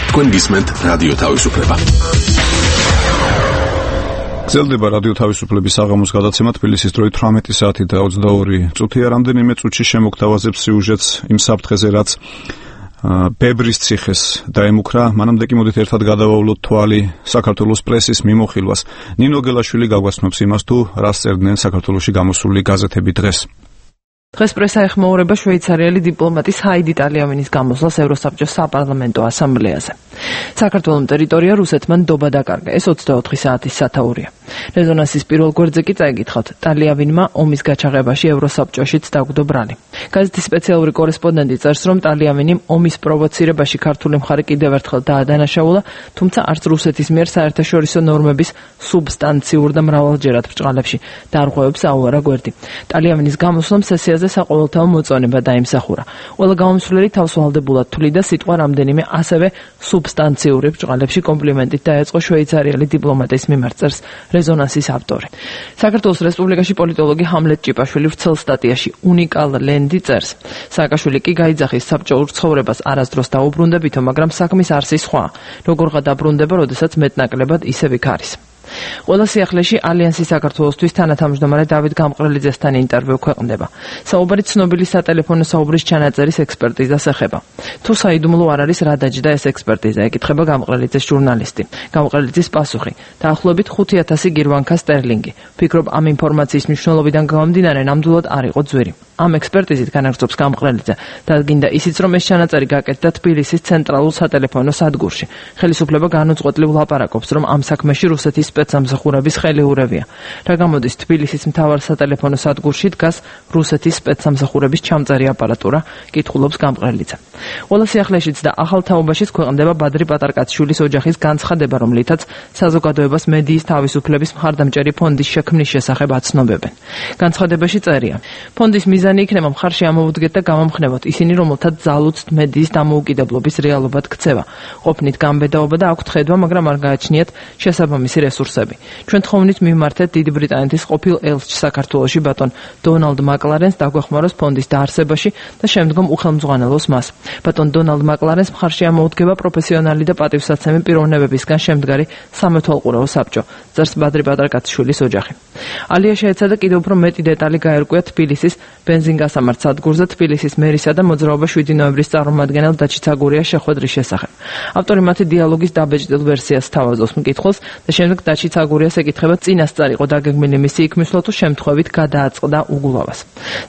თქვენ გისმენთ რადიო თავისუფლება.
გრძელდება რადიო თავისუფლების საღამოს გადაცემა თბილისის დროით თვრამეტი საათი და ოცდაორი წუთია. რამდენიმე წუთში შემოგთავაზებს სიუჟეტს იმ საფრთხეზე, რაც ბებრის ციხეს დაემუქრა. მანამდე კი მოდით ერთად გადავავლოთ თვალი საქართველოს პრესის მიმოხილვას. ნინო გელაშვილი გაგვაცნობს იმას, თუ რას წერდნენ საქართველოში გამოსული გაზეთები დღეს.
დღეს პრესა ეხმაურება შვეიცარიელი დიპლომატის ჰაიდი ტალიავინის გამოსვლას ევროსაბჭოს საპარლამენტო ასამბლეაზე. საქართველოს ტერიტორია რუსეთმა ნდობა დაკარგა. ეს ოცდაოთხი საათის სათაურია. რეზონანსის პირველ გვერდზე კი წაიგითხავთ, ტალიავინმა ომის გაჩაღებაში ევროსაბჭოშიც დაგვდო ბრალი. გაზეთის სპეციალური კორესპონდენტი წერს, რომ ტალიავინი ომის პროვოცირებაში ქართული მხარე კიდევ ერთხელ დაადანაშაულა, თუმცა არც რუსეთის მიერ საერთაშორისო ნორმების სუბსტანციურ და მრავალჯერად ბრჭყალებში დარღვევებს აუარა გვერდი. ტალიავინის გამოსვლამ სესიაზე საყოველთაო მოწონება დაიმსახურა. ყველა გამომსვლელი თავსვალდებულად თვლიდა სიტყვა რამდენიმე ასევე სუბსტანციური ბრჭყალებში კომპლიმენტით დაეწყო შვეიცარიელი დიპლომატის მიმართ, წერს რეზონანსის ავტორი. საქართველოს რესპუბლიკაში პოლიტოლოგი ჰამლეტ ჭიპაშვილი ვრცელ სტატიაში უნიკალ ლენდი წერს. სააკაშვილი კი გაიძახის საბჭოურ ცხოვრებას არასდროს დაუბრუნდებითო, მაგრამ საქმის არსი სხვა. როგორღა დაბრუნდება, როდესაც მეტნაკლებად ისევ იქ არის. ყველა სიახლეში ალიანსის საქართველოსთვის თანათავმჯდომარე დავით გამყრელიძესთან ინტერვიუ ქვეყნდება. საუბარი ცნობილი სატელეფონო საუბრის ჩანაწერის ექსპერტიზას ეხება. თუ საიდუმლო არ არის, რა დაჯდა ეს ექსპერტიზა, ეკითხება გამყრელიძეს ჟურნალისტი. გამყრელიძის პასუხი: დაახლოებით ხუთი ათასი გირვანქა სტერლინგი. ფიქრობ, ამ ინფორმაციის მნიშვნელობიდან გამომდინარე, ნამდვილად არ იყო ძვირი. ამ ექსპერტიზით განაგრძობს გამყრელიძე. დადგინდა ისიც, რომ ეს ჩანაწერი გაკეთდა თბილისის ცენტრალურ სატელეფონო სადგურში. ხელისუფლება განუწყვეტლივ ლაპარაკობს, რომ ამ საქმეში რუსეთის სპეცსამსახურების ხელი ურევია. რა გამოდის, თბილისის მთავარ სატელეფონო სადგურში დგას რუსეთის სპეცსამსახურების ჩამწერი აპარატურა, კითხულობს გამყრელიძე. ყველა სიახლეშიც და ახალ თაობაშიც ქვეყნდება ბადრი პატარკაცშვილის ოჯახის განცხადება, რომლითაც საზოგადოებას მედიის თავისუფლების მხარდამჭერი ფონდის შექმნის შესახებ აცნობებენ. განცხადებაში წერია: ფონდის მიზანი იქნება მხარში ამოვუდგეთ და გამომხნევოთ ისინი, რომელთაც ძალუცთ მედიის დამოუკიდებლობის რეალობად ქცევა. ყოფნით გამბედაობა და აქვთ ხედვა, მაგრამ არ გააჩნიათ შესაბამისი რესურსი რესურსები. ჩვენ თხოვნით მიმართეთ დიდი ბრიტანეთის ყოფილ ელჩს საქართველოში ბატონ დონალდ მაკლარენს დაგვეხმაროს ფონდის დაარსებაში და შემდგომ უხელმძღვანელოს მას. ბატონ დონალდ მაკლარენს მხარში ამოუდგება პროფესიონალი და პატივსაცემი პიროვნებებისგან შემდგარი სამეთვალყურეო საბჭო, წერს ბადრი პატრაკაციშვილის ოჯახი. ალია შეეცადა კიდევ უფრო მეტი დეტალი გაერკვია თბილისის ბენზინგასამართ სადგურზე თბილისის მერისა და მოძრაობა შვიდი ნოემბრის წარმომადგენელ დაჩი ცაგურიას შეხვედრის შესახებ. ავტორი მათი დიალოგის დაბეჭდილ ვერსიას თავაზობს მკითხველს და შემდეგ დაჩი ცაგურიას ეკითხება წინასწარ იყო დაგეგმილი მისი იქმისლა თუ შემთხვევით გადააწყდა უგულავას.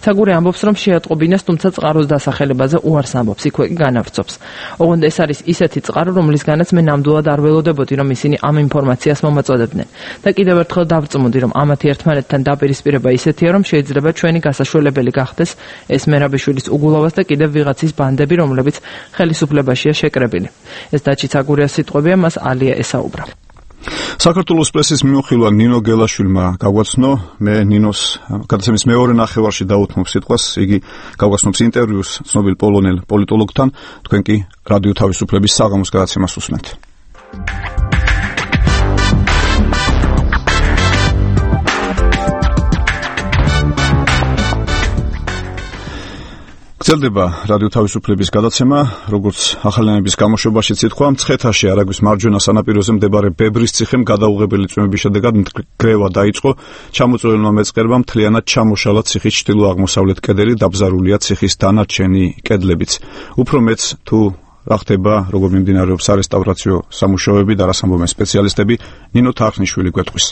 ცაგური ამბობს, რომ შეატყობინეს, თუმცა წყაროს დასახელებაზე უარს ამბობს, იქვე კი განავრცობს. ოღონდ ეს არის ისეთი წყარო, რომლისგანაც მე ნამდვილად არ ველოდებოდი, რომ ისინი ამ ინფორმაციას მომაწოდებდნენ. და კიდევ ერთხელ დავწმუნდი, რომ ამათი ერთმანეთთან დაპირისპირება ისეთია, რომ შეიძლება ჩვენი გასაშველებელი გახდეს ეს მერაბიშვილის უგულავას და კიდევ ვიღაცის ბანდები, რომლებიც ხელისუფლებაშია შეკრებილი. ეს დაჩი ცაგურიას სიტყვებია, მას ალია ესაუბრა.
საქართველოს პრესის მიმოხილვა ნინო გელაშვილმა გაგვაცნო, მე ნინოს გადაცემის მეორე ნახევარში დაუთმობ სიტყვას, იგი გავგაცნობს ინტერვიუს ცნობილ პოლონელ პოლიტოლოგთან, თქვენ კი რადიო თავისუფლების საღამოს გადაცემას უსმენთ. გრძელდება რადიო თავისუფლების გადაცემა, როგორც ახალიანების გამოშვებაში ციტყვა, მცხეთაში არაგვის მარჯვენა სანაპიროზე მდებარე ბებრისციხემ გადაუღებელი წვიმების შედეგად მგრევა დაიწყო, ჩამოწვეულმა მეწყერმა მთლიანად ჩამოშალა ციხის ჩრდილო-აღმოსავლეთ კედელი, დაბზარულია ციხის დანარჩენი კედლებიც. უფრო მეც თუ რა ხდება, როგორ მიმდინარეობს სარესტავრაციო სამუშაოები და რას ამბობენ სპეციალისტები, ნინო თარხნიშვილი გვეტყვის.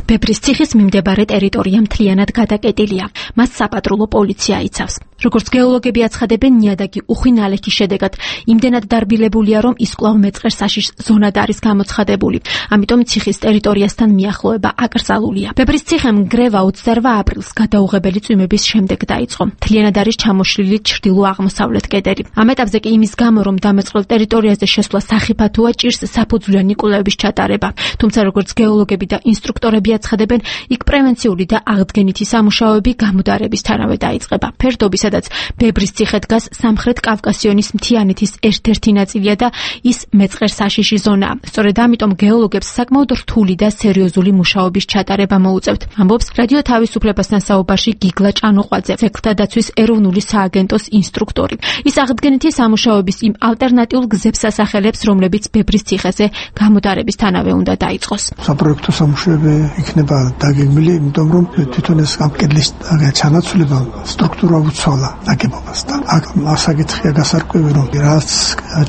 ბებრის ციხის მიმდებარე ტერიტორია მთლიანად გადაკეტილია. მას საპატრულო პოლიცია იცავს. როგორც გეოლოგები აცხადებენ, ნიადაგი უხვი ნალექის შედეგად იმდენად დარბილებულია, რომ ის კვლავ მეწყერსაშიშ ზონად არის გამოცხადებული. ამიტომ ციხის ტერიტორიასთან მიახლოება აკრძალულია. ბებრის ციხემ მგრევა ოცდაორ აპრილს გადაუღებელი წვიმების შემდეგ დაიწყო. მთლიანად არის ჩამოშლილი ჩრდილო-აღმოსავლეთ კედელი. ამ ეტაპზე კი იმის გამო, რომ დამეწყრულ ტერიტორიაზე შესვლა სახიფათოა, ჭირს საფუძვლიანი კვლევების ჩატარება. თუმცა როგორც გეოლოგები და ინსტრუქტორები აცხადებენ, იქ პრევენციული და აღდგენითი სამუშაოები გამუდარებისთანავე დაიწყება. ფერდობისა სადაც ბებრის ციხე დგას სამხრეთ კავკასიონის მთიანეთის ერთ-ერთი ნაწილია და ის მეწყერსაშიში ზონაა. სწორედ ამიტომ გეოლოგებს საკმაოდ რთული და სერიოზული მუშაობის ჩატარება მოუწევთ. ამბობს რადიო თავისუფლებასთან საუბარში გიგლა ჭანუყვაძე, ძეგლთა დაცვის ეროვნული სააგენტოს ინსტრუქტორი. ის აღდგენითი სამუშაოების იმ ალტერნატიულ გზებს ასახელებს, რომლებიც ბებრის ციხეზე გამუდარებისთანავე უნდა დაიწყოს.
საპროექტო სამუშაოები იქნება დაგეგმილი, იმიტომ რომ თვითონ ეს ამ კედლის ჩანაცვლება სტრუქტურა უცვალ ნაგებობასთან. აქ მასაკითხია გასარკვევი, რომ რაც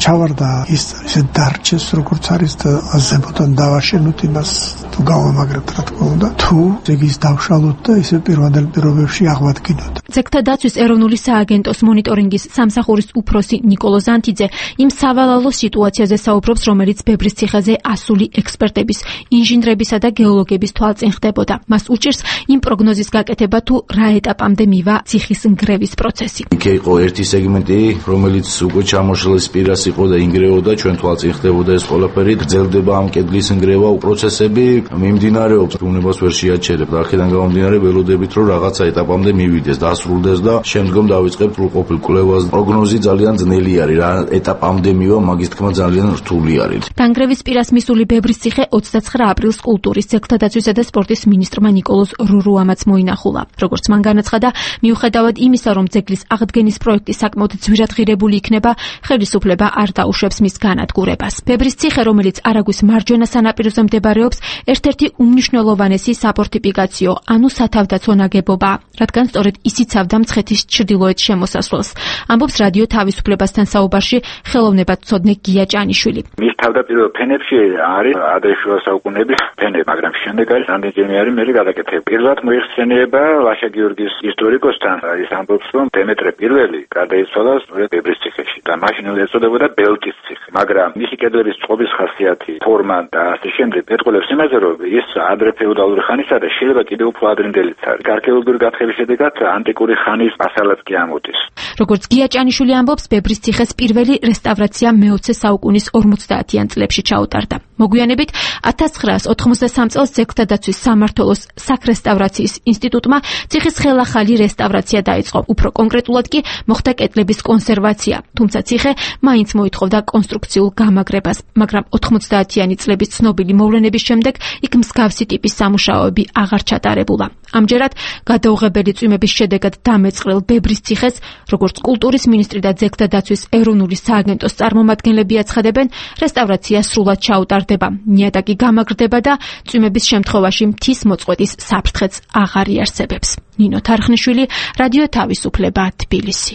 ჩავარდა ის ისე დარჩეს, როგორც არის და ზემოდან დავაშენოთ იმას თუ გავამაგრებთ, რა თქმა უნდა, თუ ზეგის დავშალოთ და ისე პირვანდელ პირობებში აღვადგინოთ.
ძეგლთა დაცვის ეროვნული სააგენტოს მონიტორინგის სამსახურის უფროსი ნიკოლო ზანთიძე იმ სავალალო სიტუაციაზე საუბრობს, რომელიც ბებრის ციხეზე ასული ექსპერტების, ინჟინრებისა და გეოლოგების თვალწინ ხდებოდა. მას უჭირს იმ პროგნოზის გაკეთება, თუ რა ეტაპამდე მივა ციხის ნგრევის პროცესი.
იქ იყო ერთი სეგმენტი, რომელიც უკვე ჩამოშლის პირას იყო და ინგრეოდა, ჩვენ თვალწინ ხდებოდა ეს ყველაფერი, გრძელდება ამ კედლის ნგრევა პროცესები, მიმდინარეობს, უნებას ვერ შეაჩერებთ. აქედან გამომდინარე ველოდებით, რომ რაღაცა ეტაპამდე მივიდეს, დასრულდეს და შემდგომ დავიწყებთ სრულყოფილ კვლევას. პროგნოზი ძალიან ძნელი არის, რა ეტაპამდე მივა, მაგის თქმა ძალიან რთული არის.
დანგრევის პირას მისული ბებრის ციხე ოცდაცხრა აპრილს კულტურის, ძეგლთა დაცვისა და სპორტის მინისტრმა ნიკოლოზ რურუამაც მოინახულა. როგორც მან განაცხადა, მიუხედავად იმისა, რომ ძეგლის აღდგენის პროექტი საკმაოდ ძვირად ღირებული იქნება, ხელისუფლება არ დაუშვებს მის განადგურებას. ბებრის ციხე, რომელიც არაგვის მარჯვენა სანაპიროზე მდებარეობს, ერთ-ერთი უმნიშვნელოვანესი საფორტიფიკაციო, ანუ სათავდაცვო ნაგებობაა, რადგან სწორედ ის იცავდა მცხეთის ჩრდილოეთ შემოსასვლელს. ამბობს რადიო თავისუფლებასთან საუბარში ხელოვნებათმცოდნე გია ჭანიშვილი.
მის თავდაპირველ ფენებში არის ადრეშუა საუკუნეების ფენები, მაგრამ შემდეგ არის რამდენჯერმე არის მე გადაკეთებული. პირველად მოიხსენიება ლაშა გიორგის ისტორიკოსთან, ის ამბობს, რომ დემეტრე პირველი გარდაიცვალა სწორედ ბებრის ციხეში და მაშინ ეწოდებოდა ბელტის ციხე. მაგრამ მისი კედლების წყობის ხასიათი, ფორმა და ასე შემდეგ მეტყველებს იმაზე, რომ ის ადრე ფეოდალური ხანისა და შეიძლება კიდევ უფრო ადრინდელიც არის. არქეოლოგიური გათხრების შედეგად ანტიკური ხანის მასალაც კი ამოდის.
როგორც გია ჭანიშვილი ამბობს, ბებრის ციხეს პირველი რესტავრაცია მეოცე საუკუნის ორმოცდაათიან წლებში ჩაუტარდა. მოგვიანებით ათას ცხრაას ოთხმოცდასამ წელს ძეგლთა დაცვის სამმართველოს საქრესტავრაციის ინსტიტუტმა ციხის ხელახალი რესტავრაცია დაიწყო. უფრო კონკრეტულად კი მოხდა კედლების კონსერვაცია, თუმცა ციხე მაინც მოითხოვდა კონსტრუქციულ გამაგრებას, მაგრამ ოთხმოცდაათიანი წლების ცნობილი მოვლენების შემდეგ იქ მსგავსი ტიპის სამუშაოები აღარ ჩატარებულა. ამჯერად გადაუღებელი წვიმების შედეგად დამეწყრელ ბებრის ციხეს, როგორც კულტურის მინისტრი და ძეგლთა დაცვის ეროვნული სააგენტოს წარმომადგენლები აცხადებენ, რესტავრაცია სრულად ჩაუტარდება, ნიადაგი გამაგრდება და წვიმების შემთხვევაში მთის მოწყვეტის საფრთხეც აღარ იარსებებს. ნინო თარხნიშვილი, რადიო თავისუფლება, თბილისი.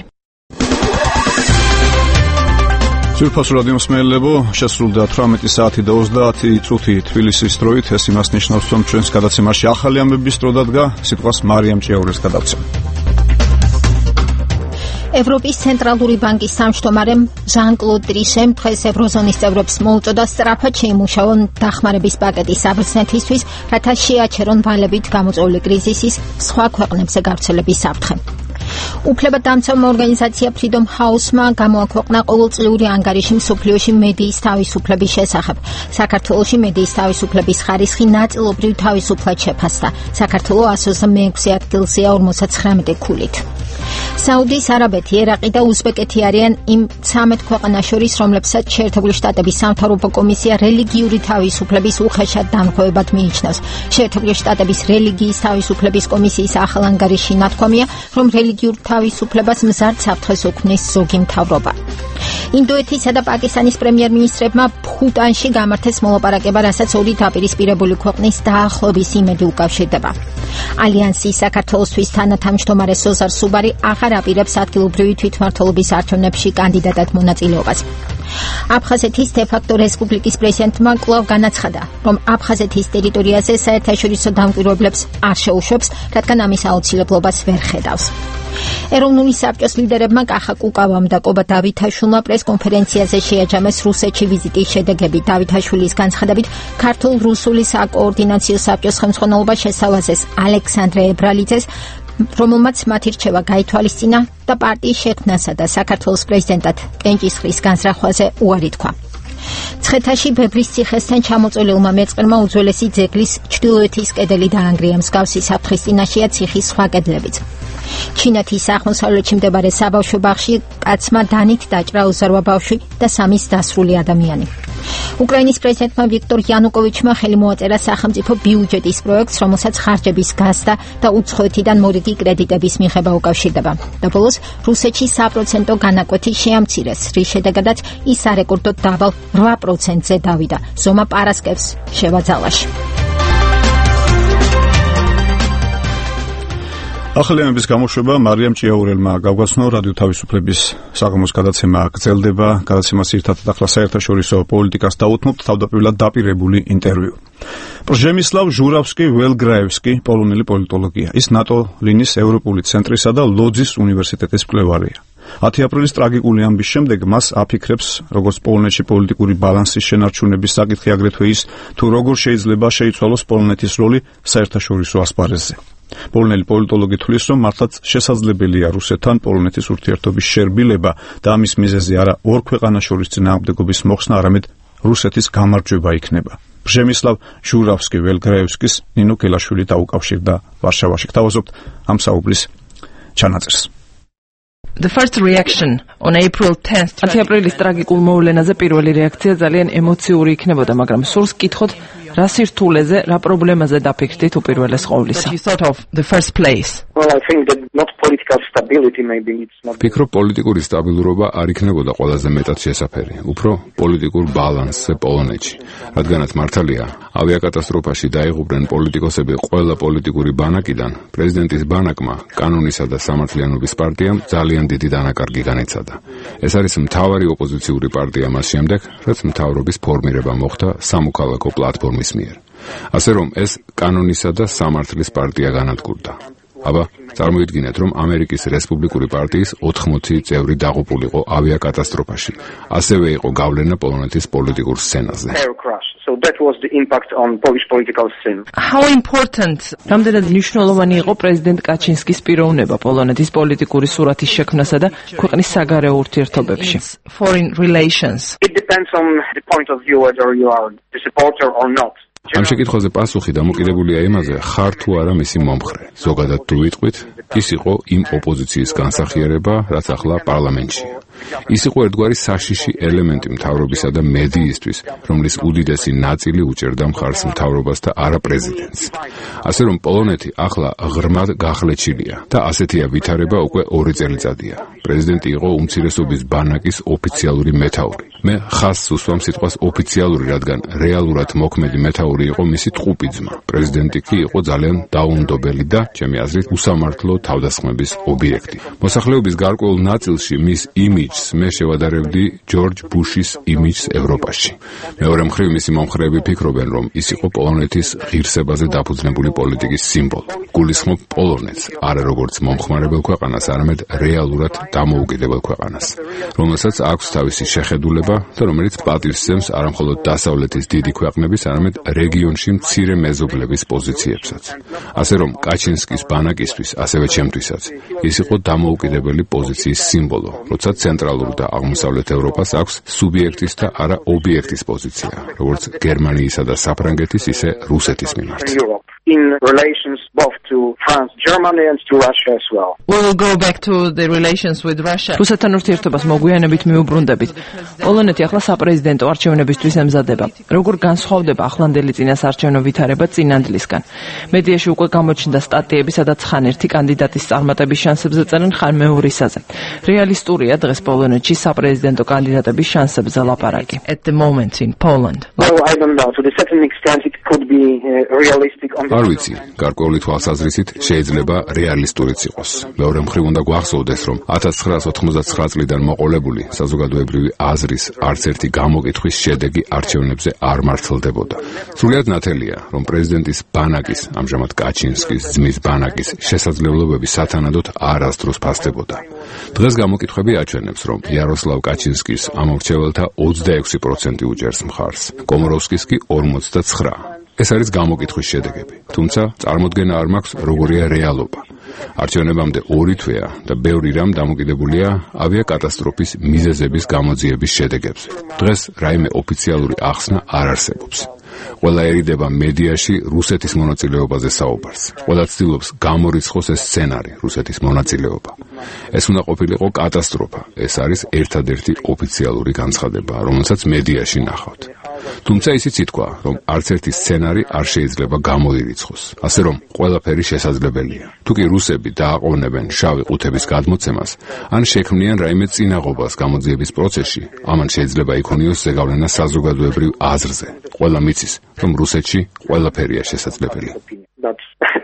ძვირფასო რადიო მსმენელებო, შესრულდა თვრამეტი საათი და ოცდაათი წუთი თბილისის დროით. ეს იმას ნიშნავს, რომ ჩვენს გადაცემაში ახალი ამბების დრო დადგა. სიტყვას მარიამ ჭიაურეს გადავცემ.
ევროპის ცენტრალური ბანკის სამშტომარემ ჟან-კლოდ ტრიშემ დღეს ევროზონის წევრებს მოუწოდა სწრაფად შეიმუშაონ დახმარების პაკეტის საბრძნეთისთვის, რათა შეაჩერონ ვალებით გამოწვეული კრიზისის სხვა ქვეყნებზე გავრცელების საფრთხე. უფლებადამცავმა ორგანიზაცია Freedom House-მა გამოაქვეყნა ყოველწლიური ანგარიში მსოფლიოში მედიის თავისუფლების შესახებ. საქართველოში მედიის თავისუფლების ხარისხი ნაწილობრივ თავისუფლად შეფასდა. საქართველო ასო მეექვსე ადგილზეა ორმოცდათხრამეტი ქულით. საუდის არაბეთი, ერაყი და უზბეკეთი არიან იმ ცამეტ ქვეყანას შორის, რომლებსაც შეერთებული შტატების სამთავრობო კომისია რელიგიური თავისუფლების უხეშად დანერგვებად მიიჩნევს. შეერთებული შტატების რელიგიის თავისუფლების კომისიის ახალ ანგარიშში ნათქვამია, რომ რელიგიურ თავისუფლებას მზარდ საფრთხეს უქმნის ზოგი მთავრობა. ინდოეთისა და პაკისტანის პრემიერ-მინისტრებმა ბჰუტანში გამართეს მოლაპარაკება, რასაც ორი დაპირისპირებული ქვეყნის დაახლოების იმედი უკავშირდება. ალიანსის საქართველოსთვის თანათავმჯდომარე სოზარ სუბარი აღარ აპირებს ადგილობრივი თვითმმართველობის არჩევნებში კანდიდატად მონაწილეობას. აფხაზეთის დე-ფაქტო რესპუბლიკის პრეზიდენტმა კვლავ განაცხადა, რომ აფხაზეთის ტერიტორიაზე საერთაშორისო დამკვირვებლებს არ შეუშვებს, რადგან ამის აუცილებლობას ვერ ხედავს. ეროვნული საბჭოს ლიდერებმა კახა კუკავამ და კობა დავითაშვილმა პრესკონფერენციაზე შეაჯამეს რუსეთში ვიზიტის შედეგები. დავითაშვილის განცხადებით, ქართულ-რუსული საკოორდინაციო საბჭოს ხელმძღვანელობა შესთავაზეს ალექსანდრე ებრალიძეს, რომელმაც მათი რჩევა გაითვალისწინა და პარტიის შექმნასა და საქართველოს პრეზიდენტად კენჭისყრის განზრახვაზე უარი თქვა. ცხეთაში ბებრის ციხესთან ჩამოწოლილმა მეწყერმა უძველესი ძეგლის ჩრდილოეთის კედელი დაანგრია. მსგავსი საფრთხის წინაშეა ციხის სხვა კედლებიც. ჩინეთის აღმოსავლეთში მდებარე საბავშვო ბაღში კაცმა დანით დაჭრა ოზარვა ბავშვი და სამის დასრული ადამიანი. უკრაინის პრეზიდენტმა ვიქტორ იანუკოვიჩმა ხელი მოაწერა სახელმწიფო ბიუჯეტის პროექტს, რომელსაც ხარჯების გაზდა და უცხოეთიდან მორიგი კრედიტების მიღება უკავშირდება. და ბოლოს რუსეთში საპროცენტო განაკვეთი შეამცირეს, რის შედეგადაც ის არეკორდოდ დაბალ რვა პროცენტზე დავიდა. ზომა პარასკევს შევაძალაში.
ახალი ამბების გამოშვება მარიამ ჭიაურელმა გავგაცნო. რადიო თავისუფლების საღამოს გადაცემა გრძელდება. გადაცემას ერთად ახლა საერთაშორისო პოლიტიკას დაუთმობთ, თავდაპირველად დაპირებული ინტერვიუ. პრჟემისლავ ჟურავსკი-ველგრაევსკი, პოლონელი პოლიტოლოგია. ის ნატო ლინის ევროპული ცენტრისა და ლოძის უნივერსიტეტის მკვლევარია. ათი აპრილის ტრაგიკული ამბის შემდეგ მას აფიქრებს, როგორც პოლონეთში პოლიტიკური ბალანსის შენარჩუნების საკითხი, აგრეთვე ის, თუ როგორ შეიძლება შეიცვალოს პოლონეთის როლი საერთაშორისო ასპარეზზე. პოლონელი პოლიტოლოგი თვლის, რომ მართლაც შესაძლებელია რუსეთთან პოლონეთის ურთიერთობის შერბილება და ამის მიზეზი არა ორ ქვეყანას შორის წინააღმდეგობის მოხსნა, არამედ რუსეთის გამარჯვება იქნება. პრჟემისლავ ჟურავსკი-ველგრაევსკის ნინო კელაშვილი დაუკავშირდა ვარშავაში. გთავაზობთ ამ საუბრის ჩანაწერს.
The first reaction on April tenth. ათი აპრილის ტრაგიკულ მოვლენაზე პირველი რეაქცია ძალიან ემოციური იქნებოდა, მაგრამ სურს კითხოთ, რა სირთულეზე, რა პრობლემაზე დაფიქრდით უპირველეს ყოვლისა? You thought of the first place.
Well, I think that not political stability maybe it's not.
Ფიქრობ, პოლიტიკური სტაბილურობა არ იქნებოდა ყველაზე მეტად შესაფერი, უფრო პოლიტიკურ ბალანსზე პოლონეთში. რადგანაც მართალია, ავიაკატასტროფაში დაიღუპნენ პოლიტიკოსები ყველა პოლიტიკური ბანაკიდან, პრეზიდენტის ბანაკმა, კანონისა და სამართლიანობის პარტიამ ძალიან დიდი დანაკარგი განიცადა. ეს არის მთავარი ოპოზიციური პარტია მას შემდეგ, რაც მთავრობის ფორმირება მოხდა სამოქალაქო პლატფორმის მიერ. ასე რომ ეს კანონისა და სამართლის პარტია განადგურდა. აბა, წარმოიდგინეთ, რომ ამერიკის რესპუბლიკური პარტიის ოთხმოცი წევრი დაღუპულიყო ავიაკატასტროფაში. ასევე იყო გავლენა პოლონეთის პოლიტიკურ სცენაზე.
So that was the impact on Polish political scene.
How important? რამდენად მნიშვნელოვანი იყო პრეზიდენტ კაჩინსკის პიროვნება პოლონეთის პოლიტიკური სურათის შექმნასა და ქვეყნის საგარეო ურთიერთობებში. Foreign relations.
It depends on the point of view whether you are a supporter or not.
ამ შეკითხვაზე პასუხი დამოკიდებულია იმაზე, ხარ თუ არა მისი მომხრე. ზოგადად თუ ვიტყვით, ის იყო იმ ოპოზიციის განსახიერება, რაც ახლა პარლამენტშია. ის იყო ერთგვარი საშიში ელემენტი მთავრობისა და მედიისთვის, რომლის უდიდესი ნაწილი უჭერდა მხარს მთავრობას და არა პრეზიდენტს. ასე რომ პოლონეთი ახლა ღრმად გახლეჩილია და ასეთია ვითარება უკვე ორი წელიწადია. პრეზიდენტი იყო უმცირესობის ბანაკის ოფიციალური მეთაური. მე ხაზს უსვამ სიტყვას ოფიციალური, რადგან რეალურად მოქმედი მეთაური იყო მისი ტყუპი ძმა. პრეზიდენტი კი იყო ძალიან დაუნდობელი და, ჩემი აზრით, უსამართლო თავდასხმების ობიექტი. მოსახლეობის გარკვეულ ნაწილში მის იმიჯს მე შევადარებდი ჯორჯ ბუშის იმიჯს ევროპაში. მეორე მხრივ მისი მომხრეები ფიქრობენ, რომ ის იყო პოლონეთის ღირსებაზე დაფუძნებული პოლიტიკის სიმბოლო. გულისხმობ პოლონეთს, არა როგორც მომხმარებელ ქვეყანას, არამედ რეალურად დამოუკიდებელ ქვეყანას, რომელსაც აქვს თავისი შეხედულება და რომელიც პატივს სცემს არა მხოლოდ დასავლეთის დიდი ქვეყნების, არამედ რეგიონში მცირე მეზობლების პოზიციებსაც. ასე რომ კაჩინსკის ბანაკისთვის, ასევე ჩემთვისაც, ის იყო დამოუკიდებელი პოზიციის სიმბოლო, როცა ცენტრალურ და აღმოსავლეთ ევროპას აქვს სუბიექტის და არა ობიექტის პოზიცია, როგორც გერმანიისა და საფრანგეთის, ისე რუსეთის მიმართ.
In relations both to France, Germany and to Russia as well.
We will go back to the relations with Russia. რუსეთთან ურთიერთობას მოგვიანებით მიუბრუნდებით. პოლონეთი ახლა საპრეზიდენტო არჩევნებისთვის ემზადება. როგორ განსხვავდება ახლანდელი წინასაარჩევნო ვითარება წინანდლისგან? მედიაში უკვე გამოჩნდა სტატიები, სადაც ხან ერთი კანდიდატის წარმატების შანსებზე წერენ, ხან მეორისაზე. რეალისტურია დღეს პოლონეთში საპრეზიდენტო კანდიდატების შანსებზე ლაპარაკი. At the moment in Poland.
Well, I don't know. To the certain extent it could be uh, realistic on
არ ვიცი, გარკვეული თვალსაზრისით შეიძლება რეალისტურიც იყოს. მეორე მხრივ უნდა გვახსოვდეს, რომ ათას ცხრაას ოთხმოცდათცხრა წლიდან მოყოლებული საზოგადოებრივი აზრის არც ერთი გამოკითხვის შედეგი არჩევნებზე არ მართლდებოდა. სრულიად ნათელია, რომ პრეზიდენტის ბანაკის, ამჟამად კაჩინსკის ძმის ბანაკის შესაძლებლობები სათანადოდ არასდროს ფასდებოდა. დღეს გამოკითხვები აჩვენებს, რომ იაროსლავ კაჩინსკის ამორჩეველთა ოცდაექვსი პროცენტი უჭერს მხარს, კომოროვსკის კი ორმოცდაცხრა. ეს არის გამოკითხვის შედეგები, თუმცა წარმოდგენა არ მაქვს, როგორია რეალობა. არჩევნებამდე ორი თვეა და ბევრი რამ დამოკიდებულია ავიაკატასტროფის მიზეზების გამოძიების შედეგებზე. დღეს რაიმე ოფიციალური ახსნა არ არსებობს. ყველა ერიდება მედიაში რუსეთის მონაწილეობაზე საუბარს. ყველა ცდილობს გამორიცხოს ეს სცენარი, რუსეთის მონაწილეობა. ეს უნდა ყოფილიყო კატასტროფა. ეს არის ერთადერთი ოფიციალური განცხადება, რომელსაც მედიაში ნახავთ. თუმცა ისიც ითქვა, რომ არც ერთი სცენარი არ შეიძლება გამოირიცხოს. ასე რომ ყველაფერი შესაძლებელია. თუ კი რუსები დააყოვნებენ შავი ყუთების გადმოცემას, ან შექმნიან რაიმე წინაღობას გამოძიების პროცესში, ამან შეიძლება იქონიოს ზეგავლენა საზოგადოებრივ აზრზე. ყველა მიცის, რომ რუსეთში ყველაფერია შესაძლებელი.
But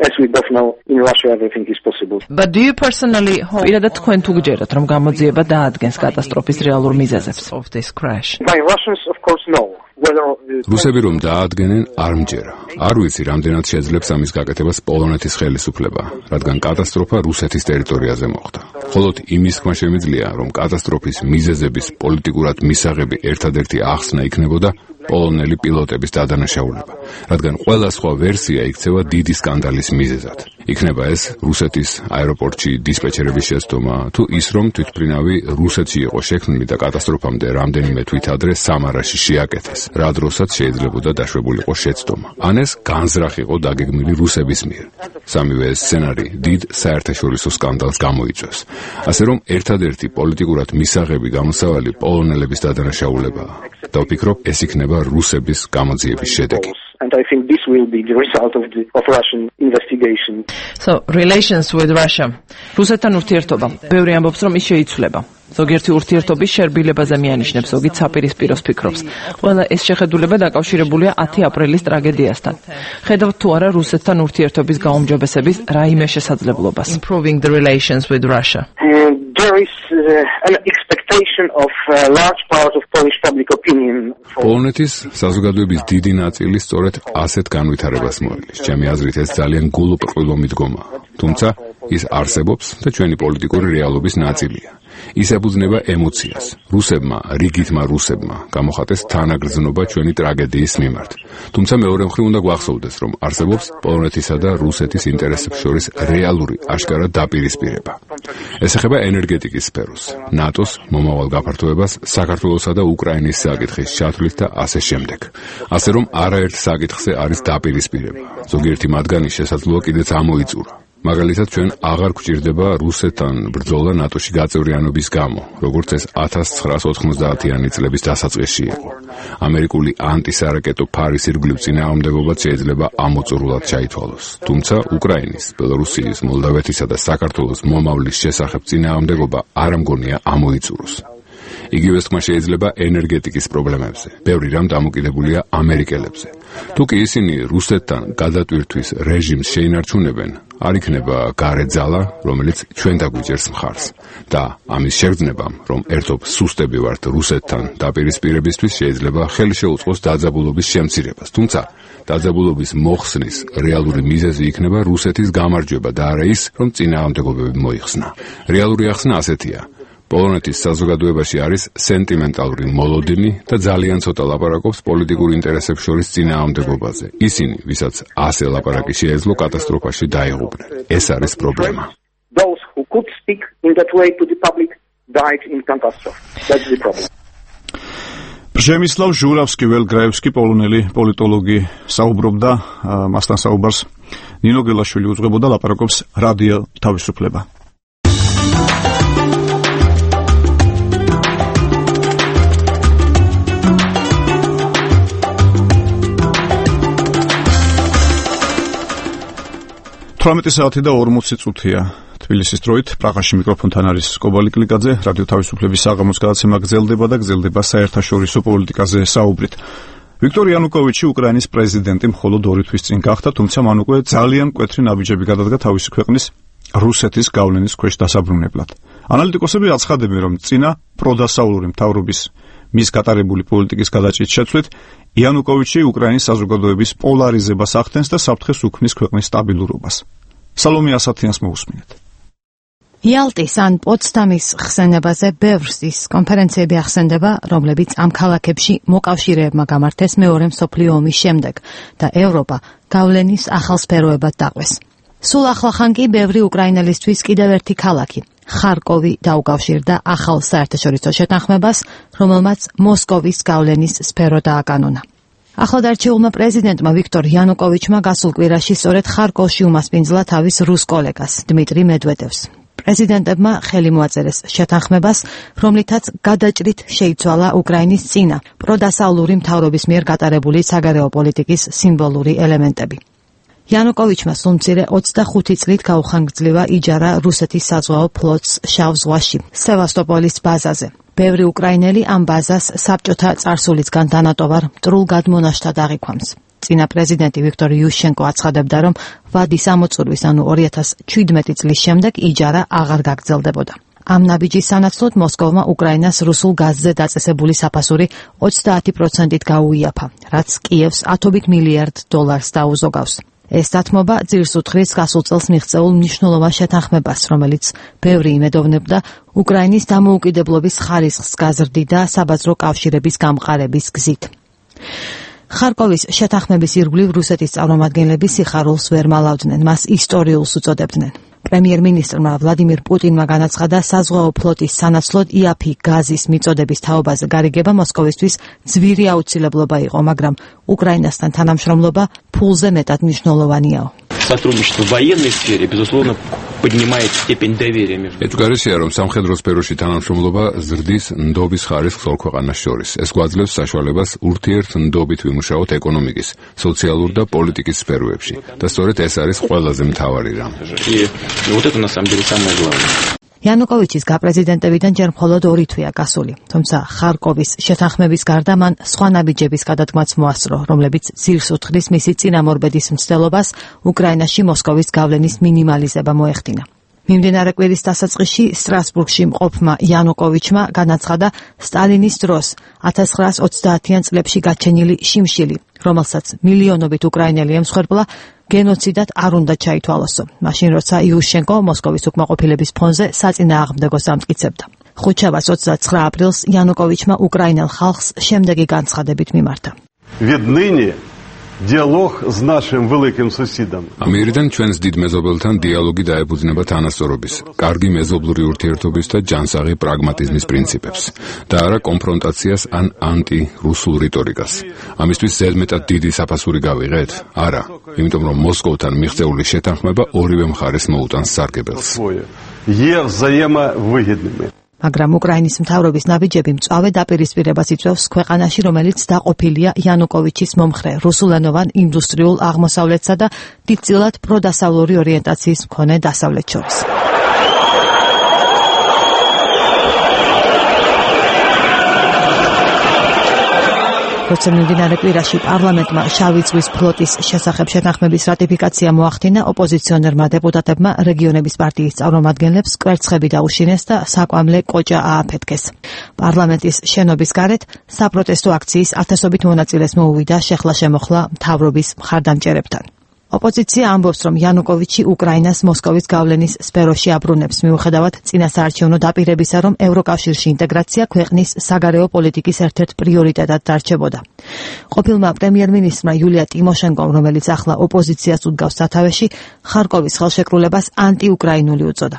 as we both know, in Russia everything is possible.
But do you personally hope პირადად თქვენ თუ გჯერათ, რომ გამოძიება დაადგენს კატასტროფის რეალურ მიზეზებს of this crash?
By Russians of course no.
რუსები რომ დაადგენენ არ მჯერა. არ ვიცი, რამდენად შეძლებს ამის გაკეთებას პოლონეთის ხელისუფლება, რადგან კატასტროფა რუსეთის ტერიტორიაზე მოხდა. მხოლოდ იმის თქმა შემიძლია, რომ კატასტროფის მიზეზების პოლიტიკურად მისაღები ერთადერთი ახსნა იქნებოდა პოლონელი პილოტების დადანაშაულება, რადგან ყველა სხვა ვერსია იქცევა დიდი სკანდალის მიზეზად. იქნება ეს რუსეთის აეროპორტში დისპეჩერების შეცდომა, თუ ის რომ თვითმფრინავი რუსეთში იყო შექმნილი და კატასტროფამდე რამდენიმე თვით ადრე სამარაში შეაკეთეს, რა დროსაც შეიძლებოდა დაშვებულიყო შეცდომა. ან ეს განზრახ იყო დაგეგმილი რუსების მიერ. სამივე ეს სცენარი დიდ საერთაშორისო სკანდალს გამოიწვევს. ასე რომ ერთადერთი პოლიტიკურად მისაღები გამოსავალი პოლონელების დადანაშაულებაა. და ვფიქრობ, ეს იქნება რუსების გამოძიების შედეგი.
And I think this will be the result of the of Russian investigation.
So relations with Russia. რუსეთთან ურთიერთობა. ბევრი ამბობს, რომ ის შეიცვლება. ზოგიერთი ურთიერთობის შერბილებაზე მიანიშნებს, ზოგი საპირისპიროს ფიქრობს. ყველა ეს შეხედულება დაკავშირებულია ათი აპრილის ტრაგედიასთან. ხედავთ თუ არა რუსეთთან ურთიერთობის გაუმჯობესების რაიმე შესაძლებლობას. Improving the relations with Russia.
And there is uh, an expectation of a large part of Polish public opinion.
პოლონეთის საზოგადოების დიდი ნაწილი სწორედ ასეთ განვითარებას მოელის. ჩემი აზრით ეს ძალიან გულუბრყვილო მიდგომაა. თუმცა ის არსებობს და ჩვენი პოლიტიკური რეალობის ნაწილია. ის ებრძნება ემოციას. რუსებმა, რიგითმა რუსებმა გამოხატეს თანაგრძნობა ჩვენი ტრაგედიის მიმართ. თუმცა მეორე მხრივ უნდა გვახსოვდეს, რომ არსებობს პოლონეთისა და რუსეთის ინტერესებს შორის რეალური აშკარა დაპირისპირება. ეს ეხება ენერგეტიკის სფეროს, ნატოს მომავალ გაფართოებას, საქართველოსა და უკრაინის საკითხის ჩათვლით და ასე შემდეგ. ასე რომ არაერთ საკითხზე არის დაპირისპირება. ზოგიერთი მათგანი შესაძლოა კიდეც ამოიწურა. მაგალითად, ჩვენ აღარ გვჭირდება რუსეთთან ბრძოლა ნატოში გაწევრიანობის გამო, როგორც ეს ათას ცხრაას ოთხმოცდაათიანი წლების დასაწყისში იყო. ამერიკული ანტისარაკეტო ფარის ირგვლივ წინააღმდეგობაც შეიძლება ამოწურულად ჩაითვალოს. თუმცა უკრაინის, ბელორუსიის, მოლდავეთისა და საქართველოს მომავლის შესახებ წინააღმდეგობა არ ამგონია ამოიწუროს. იგივეს თქმა შეიძლება ენერგეტიკის პრობლემებზე. ბევრი რამ დამოკიდებულია ამერიკელებზე. თუ კი ისინი რუსეთთან გადატვირთვის რეჟიმს შეინარჩუნებენ, არ იქნება გარე ძალა, რომელიც ჩვენ დაგვიჭერს მხარს. და ამის შეგრძნებამ, რომ ერთობ სუსტები ვართ რუსეთთან დაპირისპირებისთვის, შეიძლება ხელი შეუწყოს დაძაბულობის შემცირებას. თუმცა დაძაბულობის მოხსნის რეალური მიზეზი იქნება რუსეთის გამარჯვება და არა ის, რომ წინააღმდეგობები მოიხსნა. რეალური ახსნა ასეთია. პოლონეთის საზოგადოებაში არის სენტიმენტალური მოლოდინი და ძალიან ცოტა ლაპარაკობს პოლიტიკურ ინტერესებს შორის წინააღმდეგობაზე. ისინი, ვისაც ასე ლაპარაკი შეეძლო, კატასტროფაში დაიღუპნენ. ეს არის პრობლემა.
Those who could speak in that way to the public died in catastrophe. That's the problem.
Przemysław Żurawski, ველგრაევსკი, პოლონელი პოლიტოლოგი, საუბრობდა, მასთან საუბარს ნინო გელაშვილი უძღვებოდა, ლაპარაკობს რადიო თავისუფლება. თვრამეტი საათი და ორმოცი წუთია თბილისის დროით. პრაღაში მიკროფონთან არის კობალი კლიკაძე. რადიო თავისუფლების საღამოს გადაცემა გრძელდება და გრძელდება საერთაშორისო პოლიტიკაზე საუბრით. ვიქტორ იანუკოვიჩი უკრაინის პრეზიდენტი მხოლოდ ორი თვის წინ გახდა, თუმცა მან უკვე ძალიან მკვეთრი ნაბიჯები გადადგა თავისი ქვეყნის რუსეთის გავლენის ქვეშ დასაბრუნებლად. ანალიტიკოსები აცხადებენ, რომ წინა პროდასავლური მთავრობის მის გატარებული პოლიტიკის გადაჭრის შეცვლით იანუკოვიჩი უკრაინის საზოგადოების პოლარიზებას ახდენს და საფრთხეს უქმნის ქვეყნის სტაბილურობას. სალომე ასათიანს მოусმინეთ.
იალტის ან პოცდამის ხსენებაზე ბევრსის კონფერენციები ახსენდება, რომლებიც ამ ქალაქებში მოკავშირეებმა გამართეს მეორე მსოფლიო ომის შემდეგ და ევროპა გავლენის ახალ სფეროებად დაყვეს. სულ ახლახან კი ბევრი უკრაინელისთვის კიდევ ერთი ქალაქი ხარკოვი დაუკავშირდა ახალ საერთაშორისო შეთანხმებას, რომელმაც მოსკოვის გავლენის სფერო დააკანონა. ახლადარჩეულმა პრეზიდენტმა ვიქტორ იანუკოვიჩმა გასულ კვირაში სწორედ ხარკოვში უმასპინძლა თავის რუს კოლეგას დმიტრი მედვედევს. პრეზიდენტებმა ხელი მოაწერეს შეთანხმებას, რომლითაც გადაჭრით შეიცვალა უკრაინის წინა პროდასავლური მთავრობის მიერ გატარებული საგარეო პოლიტიკის სიმბოლური ელემენტები. იანუკოვიჩმა სულ-მცირე ოცდახუთი წლით გაუხანგრძლива იჯარა რუსეთის საზღვაო ფლოტს შავ ზღვაში, სევასტოპოლის ბაზაზე. ბევრი უკრაინელი ამ ბაზას საბჭოთა წარსულისგან დანატოვარ მტრულ გადმონაშთად აღიქვამს. წინა პრეზიდენტი ვიქტორ იუშენკო აცხადებდა, რომ ვადის ამოწურვის, ანუ ორი ათას ჩვიდმეტი წლის შემდეგ იჯარა აღარ გაგრძელდებოდა. ამ ნაბიჯის სანაცვლოდ მოსკოვმა უკრაინას რუსულ გაზზე დაწესებული საფასური ოცდაათი პროცენტით გაუიაფა, რაც კიევს ათობით მილიარდ დოლარს დაუზოგავს. ეს დათმობა ძირს უთხრის გასულ წელს მიღწეულ მნიშვნელოვან შეთანხმებას, რომელიც ბევრი იმედოვნებდა უკრაინის დამოუკიდებლობის ხარისხს გაზრდიდა საბაზრო კავშირების გამყარების გზით. ხარკოვის შეთანხმების ირგვლივ რუსეთის წარმომადგენლები სიხარულს ვერ მალავდნენ, მას ისტორიულს უწოდებდნენ. პრემიერ-მინისტრმა ვლადიმირ პუტინმა განაცხადა, საზღვაო ფლოტის სანაცვლოდ იაფი გაზის მიწოდების თაობაზე გარიგება მოსკოვისთვის ძვირი აუცილებლობა იყო, მაგრამ უკრაინასთან თანამშრომლობა ფულზე მეტად მნიშვნელოვანიაო.
Сотрудничество в военной сфере, безусловно, поднимает степень доверия между.
ეჭვგარეშეა, რომ სამხედრო სფეროში თანამშრომლობა ზრდის ნდობის ხარისხს ორ ქვეყანას შორის. ეს გვაძლევს საშუალებას ურთიერთ ნდობით ვიმუშაოთ ეკონომიკის, სოციალურ და პოლიტიკის სფეროებში. და სწორედ ეს არის ყველაზე მთავარი რამ.
Вот это на самом деле самое главное.
იანუკოვიჩის გაპრეზიდენტებიდან ჯერ მხოლოდ ორი თვეა გასული, თუმცა ხარკოვის შეთანხმების გარდა მან სხვა ნაბიჯების გადადგმაც მოასწრო, რომლებიც ძირს უთხრის მისი წინამორბედის მცდელობას უკრაინაში მოსკოვის გავლენის მინიმალიზება მოეხდინა. მიმდინარე კვირის დასაწყისში სტრასბურგში მყოფმა იანუკოვიჩმა განაცხადა სტალინის დროს ათას ცხრაას ოცდაათიან წლებში გაჩენილი შიმშილი, რომელსაც მილიონობით უკრაინელი ემსხვერპლა, გენოციდად არ უნდა ჩაითვალოსო, მაშინ როცა იუშენკო მოსკოვის უკმაყოფილების ფონზე საწინააღმდეგოს ამტკიცებდა. ხუთშაბათს ოცდაცხრა აპრილს იანუკოვიჩმა უკრაინელ ხალხს შემდეგი განცხადებით მიმართა.
Диалог с нашим великим соседом.
ამერიდან ჩვენს დიდ მეზობელთან დიალოგი დაეფუძნება თანასწორობის, კარგი მეზობლური ურთიერთობის და ჯანსაღი პრაგმატიზმის პრინციპებს და არა კონფრონტაციას ან ანტი-რუსულ რიტორიკას. ამისთვის ზედმეტად დიდი საფასური გავიღეთ? არა, იმიტომ რომ მოსკოვთან მიღწეული შეთანხმება ორივე მხარეს მოუტანს სარგებელს.
მაგრამ უკრაინის მთავრობის ნაბიჯები მწვავე დაპირისპირებას იწვევს ქვეყანაში, რომელიც დაყოფილია იანუკოვიჩის მომხრე რუსულენოვან ინდუსტრიულ აღმოსავლეთსა და დიდწილად პროდასავლური ორიენტაციის მქონე დასავლეთ შორის. როცა მიმდინარე კვირაში პარლამენტმა შავი ზღვის ფლოტის შესახებ შეთანხმების რატიფიკაცია მოახდინა, ოპოზიციონერმა დეპუტატებმა რეგიონების პარტიის წარმომადგენლებს კვერცხები დაუშინეს და საკვამლე კოჭა ააფეთქეს. პარლამენტის შენობის გარეთ საპროტესტო აქციის ათასობით მონაწილეს მოუვიდა შეხლა-შემოხლა მთავრობის მხარდამჭერებთან. ოპოზიცია ამბობს, რომ იანუკოვიჩი უკრაინას მოსკოვის გავლენის სფეროში აბრუნებს, მიუხედავად წინასაარჩევნო დაპირებისა, რომ ევროკავშირში ინტეგრაცია ქვეყნის საგარეო პოლიტიკის ერთ-ერთ პრიორიტეტად დარჩებოდა. ყოფილმა პრემიერ-მინისტრმა იულია ტიმოშენკომ, რომელიც ახლა ოპოზიციას უდგავს სათავეში, ხარკოვის ხელშეკრულებას ანტიუკრაინული უწოდა.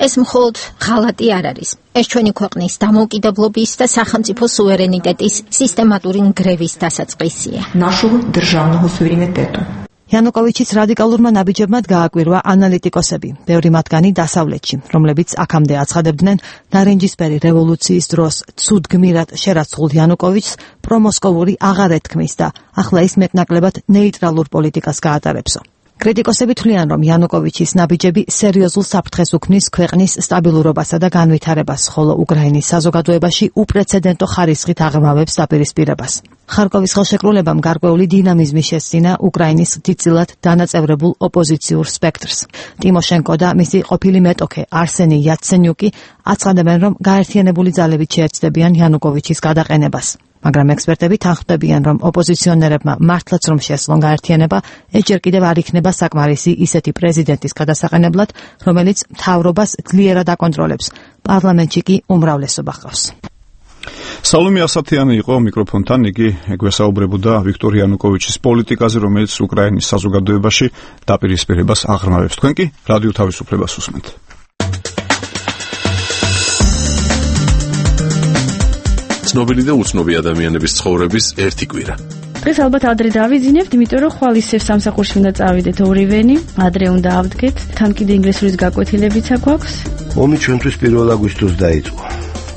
ეს მხოლოდ ღალატი არ არის. ეს ჩვენი ქვეყნის დამოუკიდებლობის და სახელმწიფო სუვერენიტეტის სისტემატური ნგრევის დასაწყისია.
იანუკოვიჩის რადიკალურმა ნაბიჯებმა გააკვირვა ანალიტიკოსები, ბევრი მათგანი დასავლეთში, რომლებიც აქამდე აცხადებდნენ ნარინჯისფერი რევოლუციის დროს ცუდ გმირად შერაცხულ იანუკოვიჩს პრომოსკოვური აღარ ეთქმის და ახლა ის მეტნაკლებად ნეიტრალურ პოლიტიკას გაატარებსო. კრიტიკოსები თვლიან, რომ იანუკოვიჩის ნაბიჯები სერიოზულ საფრთხეს უქმნის ქვეყნის სტაბილურობასა და განვითარებას, ხოლო უკრაინის საზოგადოებაში უპრეცედენტო ხარისხით აღრმავებს დაპირისპირებას. ხარკოვის ხელშეკრულებამ გარკვეული დინამიზმი შესძინა უკრაინის დიდწილად დანაწევრებულ ოპოზიციურ სპექტრს. ტიმოშენკო და მისი ყოფილი მეტოქე არსენი იაცენიუკი აცხადებენ, რომ გაერთიანებული ძალებით შეეცდებიან იანუკოვიჩის გადაყენებას. მაგრამ ექსპერტები თანხმდებიან, რომ ოპოზიციონერებმა მართლაც რომ შეძლონ გაერთიანება, ეჯერ კიდევ არ იქნება საკმარისი ისეთი პრეზიდენტის გადასაყენებლად, რომელიც მთავრობას ძლიერად აკონტროლებს. პარლამენტში კი უმრავლესობა ჰყავს.
სალომე ასათიანი იყო მიკროფონთან, იგი ეგვესაუბრებოდა ვიქტორ იანუკოვიჩის პოლიტიკაზე, რომელიც უკრაინის საზოგადოებაში დაპირისპირებას აღრმავებს. თქვენ კი რადიო თავისუფლებას უსმენთ.
ცნობილი და უცნობი ადამიანების ცხოვრების ერთი კვირა.
დღეს ალბათ ადრე დავიძინებთ, იმიტომ რომ ხვალ ისევ სამსახურში უნდა წავიდეთ ორივენი, ადრე უნდა ავდგეთ, თან კიდე ინგლისურის გაკვეთილებიც აქვს.
ომი ჩვენთვის პირველ აგვისტოს დაიწყო.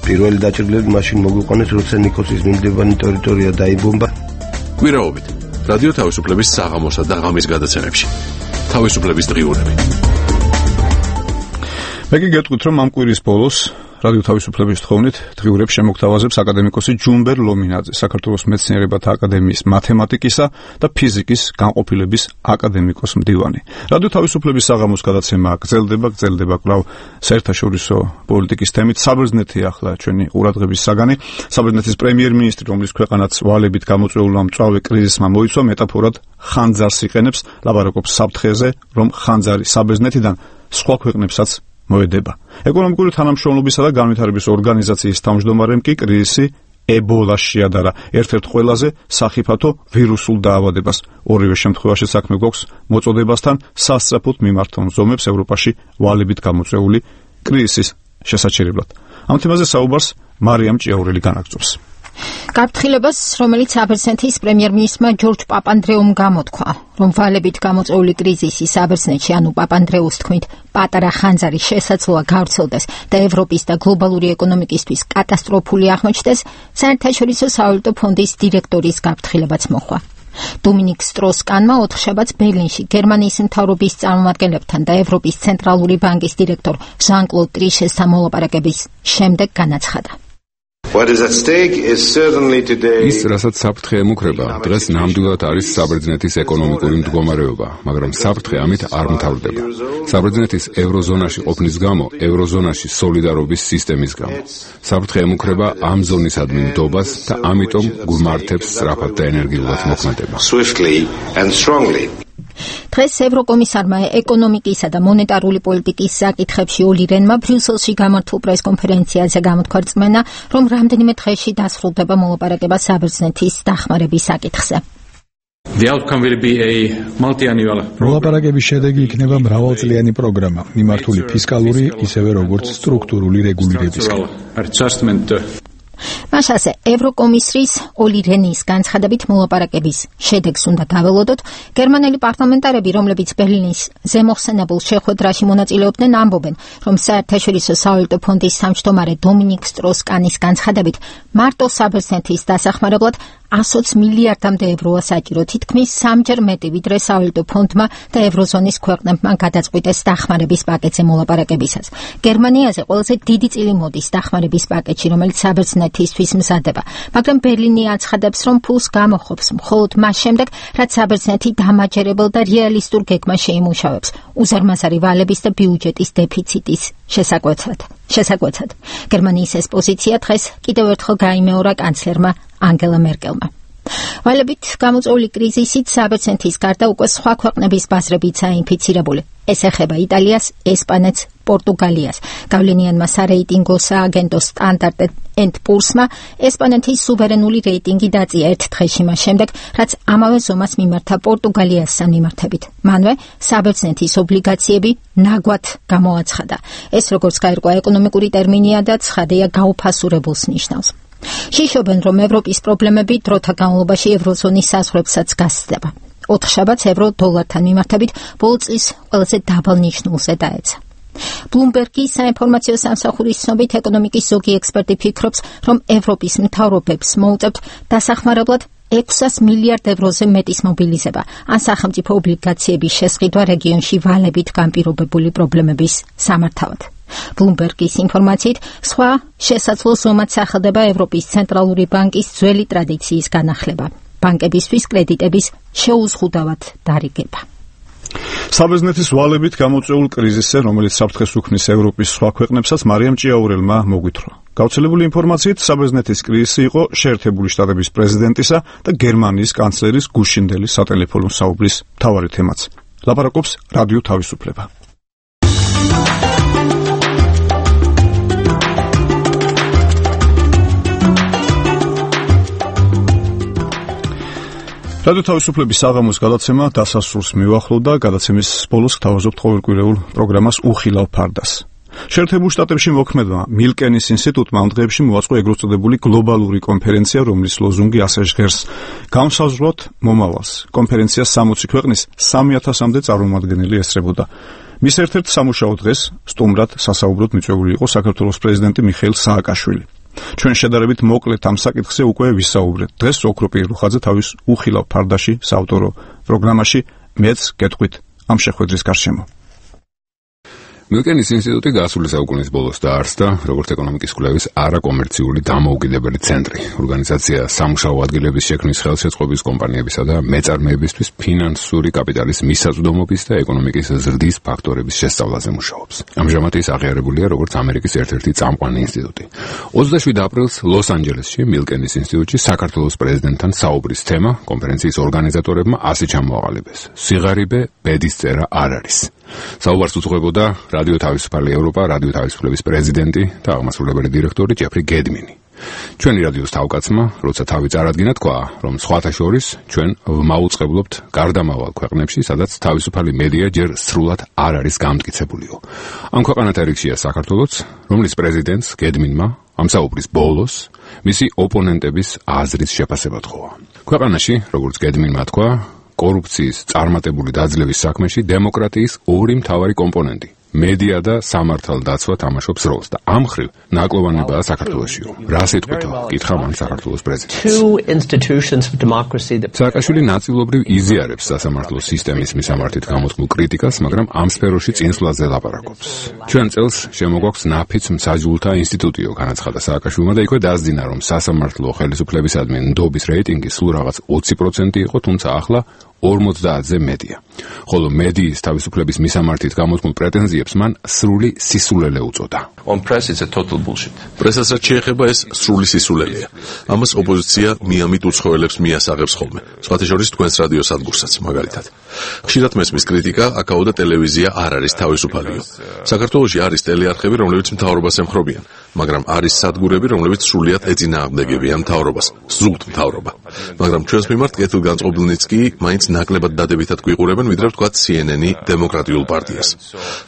პირველი დაჭრილები მაშინ მოგვიყვანეს, როცა ნიკოსის მიმდებარე ტერიტორია დაიბომბა.
კვირაობით რადიო თავისუფლების საღამოსა და ღამის გადაცემებში. თავისუფლების დღიურები.
მე კი გეტყვით, რომ ამ კვირის ბოლოს რადიო თავისუფლების თხოვნით დღიურებს შემოგთავაზებს აკადემიკოსი ჯუმბერ ლომინაძე, საქართველოს მეცნიერებათა აკადემიის მათემატიკისა და ფიზიკის განყოფილების აკადემიკოს მდივანი. რადიო თავისუფლების საღამოს გადაცემა გრძელდება, გრძელდება კვლავ საერთაშორისო პოლიტიკის თემით. საბერძნეთი ახლა ჩვენი ყურადღების საგანი. საბერძნეთის პრემიერ-მინისტრი, რომლის ქვეყანაც ვალებით გამოწვეულმა მწვავე კრიზისმა მოიცვა, მეტაფორად ხანძარს იყენებს, ლაპარაკობს საფრთხეზე, რომ ხანძარი საბერძნეთიდან სხვა ქვეყნებსაც მოედება. ეკონომიკური თანამშრომლობისა და განვითარების ორგანიზაციის თავმჯდომარემ კი კრიზისი ებოლას შეადარა ერთ-ერთ ყველაზე სახიფათო ვირუსულ დაავადებას. ორივე შემთხვევაში საქმე გვაქვს მოწოდებასთან სასწრაფოდ მიმართონ ზომებს ევროპაში ვალებით გამოწვეული კრიზისის შესაჩერებლად. ამ თემაზე საუბარს მარიამ ჭიაურელი განაგრძობს.
გაფრთხილებას, რომელიც საბერძნეთის პრემიერ-მინისტრმა ჯორჯ პაპანდრეუმ გამოთქვა, რომ ვალებით გამოწვეული კრიზისი საბერძნეთში, ანუ პაპანდრეუს თქმით, პატარა ხანძარი შესაძლოა გავრცელდეს და ევროპის და გლობალური ეკონომიკისთვის კატასტროფული აღმოჩნდეს, საერთაშორისო სავალუტო ფონდის დირექტორის გაფრთხილებაც მოხდა. დომინიკ სტროს-კანმა ოთხშაბათს ბერლინში გერმანიის მთავრობის წარმომადგენლებთან და ევროპის ცენტრალური ბანკის დირექტორ ჟან-კლოდ ტრიშეს სამოლაპარაკების შემდეგ განაცხადა.
ის, რასაც საფრთხე ემუქრება, დღეს ნამდვილად არის საბერძნეთის ეკონომიკური მდგომარეობა, მაგრამ საფრთხე ამით არ მთავრდება. საბერძნეთის ევროზონაში ყოფნის გამო, ევროზონაში სოლიდარობის სისტემის გამო. საფრთხე ემუქრება ამ ზონისადმი ნდობას და ამიტომ გვმართებს სწრაფად და ენერგიულად მოქმედება.
დღეს ევროკომისარმა ეკონომიკისა და მონეტარული პოლიტიკის საკითხებში ოლი რენმა ბრიუსელში გამართულ პრესკონფერენციაზე გამოთქვა რწმენა, რომ რამდენიმე დღეში დასრულდება მოლაპარაკება საბერძნეთის დახმარების საკითხზე.
მოლაპარაკების შედეგი იქნება მრავალწლიანი პროგრამა, მიმართული ფისკალური, ისევე როგორც სტრუქტურული რეგულირებისკენ.
მაშასე ევროკომისრის ოლი რენის განცხადებით მოლაპარაკების შედეგს უნდა დაველოდოთ. გერმანელი პარლამენტარები, რომლებიც ბერლინის ზემოხსენებულ შეხვედრაში მონაწილეობდნენ, ამბობენ, რომ საერთაშორისო სავალუტო ფონდის თავმჯდომარე დომინიკ სტროს-კანის განცხადებით მარტო საბერძნეთის დასახმარებლად ათი მილიარდამდე ევროა საჭირო, თითქმის სამჯერ მეტი, ვიდრე სავალუტო ფონდმა და ევროზონის ქვეყნებმა გადაწყვიტეს დახმარების პაკეტზე მოლაპარაკებისას. გერმანიაზე ყველაზე დიდი წილი მოდის დახმარების პაკეტში, რომელიც საბერძნეთისთვის მზადდება, მაგრამ ბერლინი აცხადებს, რომ ფულს გამოხობს მხოლოდ მას შემდეგ, რაც საბერძნეთი დამაჯერებელ და რეალისტურ გეგმას შეიმუშავებს უზარმაზარი ვალების და ბიუჯეტის დეფიციტის შესაკვეთად. შესაკვეთად. გერმანიის ეს პოზიცია დღეს კიდევ ერთხელ გაიმეორა კანცლერმა ანგელა მერკელმა. ვალებით გამოწვეული კრიზისით საბერძნეთის გარდა უკვე სხვა ქვეყნების ბაზრებიც აინფიცირებული. ეს ეხება იტალიას, ესპანეთს, პორტუგალიას. გავლენიანმა სარეიტინგო სააგენტო სტანდარტ ენდ პურსმა ესპანეთის სუვერენული რეიტინგი დაწია ერთ დღეში მას შემდეგ, რაც ამავე ზომას მიმართა პორტუგალიასთან მიმართებით. მანვე საბერძნეთის ობლიგაციები ნაგვად გამოაცხადა. ეს როგორც გაირკვა ეკონომიკური ტერმინია და ცხადია გაუფასურებულს ნიშნავს. შიშობენ, რომ ევროპის პრობლემები დროთა განმავლობაში ევროზონის საზღვრებსაც გასცდება. ოთხშაბათს ევრო დოლართან მიმართებით ბოლო წლის ყველაზე დაბალ ნიშნულზე დაეცა. ბლუმბერგის საინფორმაციო სამსახურის ცნობით ეკონომიკის ზოგი ექსპერტი ფიქრობს, რომ ევროპის მთავრობებს მოუწევთ დასახმარებლად ექვსას მილიარდ ევროზე მეტის მობილიზება, ან სახელმწიფო ობლიგაციების შესყიდვა რეგიონში ვალებით განპირობებული პრობლემების სამართავად. ბლუმბერგის ინფორმაციით, სხვა შესაძლო ზომად სახელდება ევროპის ცენტრალური ბანკის ძველი ტრადიციის განახლება. ბანკებისთვის კრედიტების შეუზღუდავად დარიგება.
საბერძნეთის ვალებით გამოწვეულ კრიზისზე, რომელიც საფრთხეს უქმნის ევროპის სხვა ქვეყნებსაც, მარიამ ჭიაურელმა მოგვითხრა. გავრცელებული ინფორმაციით, საბერძნეთის კრიზისი იყო შეერთებული შტატების პრეზიდენტისა და გერმანიის კანცლერის გუშინდელი სატელეფონო საუბრის მთავარი თემაც. ლაპარაკობს რადიო თავისუფლება. რადიო თავისუფლების საღამოს გადაცემა დასასრულს მივახლოვდა. გადაცემის ბოლოს გთავაზობთ ყოველკვირეულ პროგრამას უხილავ ფარდას. შეერთებულ შტატებში მოქმედმა მილკენის ინსტიტუტმა ამ დღეებში მოაწყო ეგრეთ წოდებული გლობალური კონფერენცია, რომლის ლოზუნგი ასე ჟღერს: გამსაზღვროთ მომავალს. კონფერენციას სამოცი ქვეყნის სამი ათასამდე წარმომადგენელი ესწრებოდა. მის ერთ-ერთ სამუშაო დღეს სტუმრად სასაუბროდ მიწვეული იყო საქართველოს პრეზიდენტი მიხეილ სააკაშვილი. ჩვენ შედარებით მოკლედ ამ საკითხზე უკვე ვისაუბრეთ. დღეს ოქრო პირუხაძე თავის უხილავ ფარდაში საავტორო პროგრამაში მეც გეტყვით ამ შეხვედრის გარშემო.
მილკენის ინსტიტუტი გასული საუკუნის ბოლოს დაარსდა როგორც ეკონომიკის კვლევის არაკომერციული დამოუკიდებელი ცენტრი. ორგანიზაცია სამუშაო ადგილების შექმნის ხელშეწყობის კომპანიებისა და მეწარმეებისთვის ფინანსური კაპიტალის მისაწვდომობის და ეკონომიკის ზრდის ფაქტორების შესწავლაზე მუშაობს. ამჟამად ის აღიარებულია როგორც ამერიკის ერთ-ერთი წამყვანი ინსტიტუტი. ოცდაშვიდ აპრილს ლოს-ანჯელესში მილკენის ინსტიტუტში საქართველოს პრეზიდენტთან საუბრის თემა კონფერენციის ორგანიზატორებმა ასე ჩამოაყალიბეს: სიღარიბე ბედის წერა არ არის. საუბარს უძღვებოდა რადიო თავისუფალი ევროპა, რადიო თავისუფლების პრეზიდენტი და აღმასრულებელი დირექტორი ჯეფრი გედმინი. ჩვენი რადიოს თავკაცმა, როცა თავი წარადგინა, თქვა, რომ სხვათა შორის ჩვენ ვმაუწყებლობთ გარდამავალ ქვეყნებში, სადაც თავისუფალი მედია ჯერ სრულად არ არის გამტკიცებულიო. ამ ქვეყანათა რიგშია საქართველოც, რომლის პრეზიდენტს გედმინმა ამ საუბრის ბოლოს მისი ოპონენტების აზრის შეფასება თხოვა. ქვეყანაში, როგორც გედმინმა თქვა, კორუფციის წარმატებული დაძლევის საქმეში დემოკრატიის ორი მთავარი კომპონენტი: მედია და სამართალდაცვა თამაშობს როლს და ამ მხრივ ნაკლოვანებაა საქართველოსიო. რა სიტყვით კითხა მან საქართველოს პრეზიდენტს. სააკაშვილი ნაწილობრივ იზიარებს სასამართლო სისტემის მისამართით გამოთქმულ კრიტიკას, მაგრამ ამ სფეროში წინსვლაზე ლაპარაკობს. ჩვენ წელს შემოგვაქვს ნაფიც მსაჯულთა ინსტიტუტიო, განაცხადა სააკაშვილმა და იქვე დასძინა, რომ სასამართლო ხელისუფლებისადმი ნდობის რეიტინგი სულ რაღაც ოცი პროცენტი იყო, თუმცა ახლა ორმოცდაათზე მეტია. ხოლო მედიის თავისუფლების მისამართით გამოთქმულ პრეტენზიებს მან სრული სისულელე უწოდა.
On press it's a total bullshit. პრესას რაც შეეხება ეს სრული სისულელეა. ამას ოპოზიცია მიამით უცხოელებს მიასაღებს ხოლმე. სხვათა შორის თქვენს რადიო სადგურსაც მაგალითად. ხშირად მესმის კრიტიკა, აკაო და ტელევიზია არ არის თავისუფალიო. საქართველოში არის ტელეარხები, რომლებიც მთავრობას ემხრობიან, მაგრამ არის სადგურები, რომლებიც სრულიად ეწინააღმდეგებიან მთავრობას, ზუსტ მთავრობა. მაგრამ ჩვენს მიმართ კეთილგანწყობილნიც კი მაინც ნაკლებად დადებითად გვიყურებენ, ვიდრე ვთქვათ C N N-ი დემოკრატიულ პარტიას.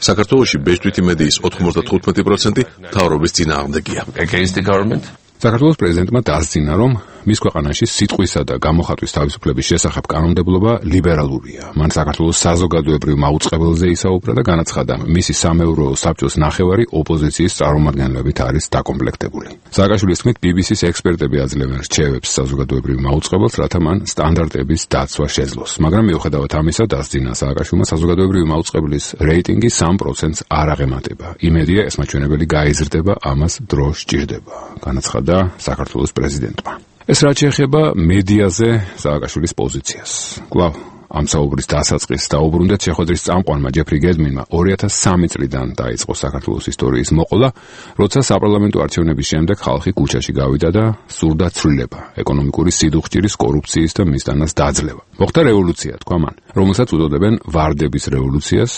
საქართველოში ბეჭდვითი მედიის ოთხმოცდათხუთმეტი პროცენტი მთავრობის წინააღმდეგია.
Against the government. საქართველოს პრეზიდენტმა დასძინა, რომ მის ქვეყანაში სიტყვისა და გამოხატვის თავისუფლების შესახებ კანონმდებლობა ლიბერალურია. მან საქართველოს საზოგადოებრივ მაუწყებელზე ისაუბრა და განაცხადა, მისი სამეურვეო საბჭოს ნახევარი ოპოზიციის წარმომადგენლებით არის დაკომპლექტებული. სააკაშვილის თქმით, B B C-ის ექსპერტები აძლევენ რჩევებს საზოგადოებრივ მაუწყებელს, რათა მან სტანდარტების დაცვა შეძლოს. მაგრამ მიუხედავად ამისა, დასძინა სააკაშვილმა საზოგადოებრივი მაუწყებლის რეიტინგი სამ პროცენტს არ აღემატება. იმედია, ეს მაჩვენებელი გაიზრდება, ამას დრო სჭირდება. განაცხადა საქართველოს პრეზიდენტმა. ეს რაც შეეხება მედიაზე სააკაშვილის პოზიციას. კვლავ ამ საუბრის დასაწყისს დაუბრუნდეთ შეხვედრის წამყვანმა ჯეფრი გედმინმა ორი ათას სამი წლიდან დაიწყო საქართველოს ისტორიის მოყოლა, როცა საპარლამენტო არჩევნების შემდეგ ხალხი ქუჩაში გავიდა და სურდა ცვლილება, ეკონომიკური სიდუხჭირის, კორუფციის და მისდანას დაძლევა. მოხდა რევოლუცია, თქვა მან, რომელსაც უწოდებენ ვარდების რევოლუციას.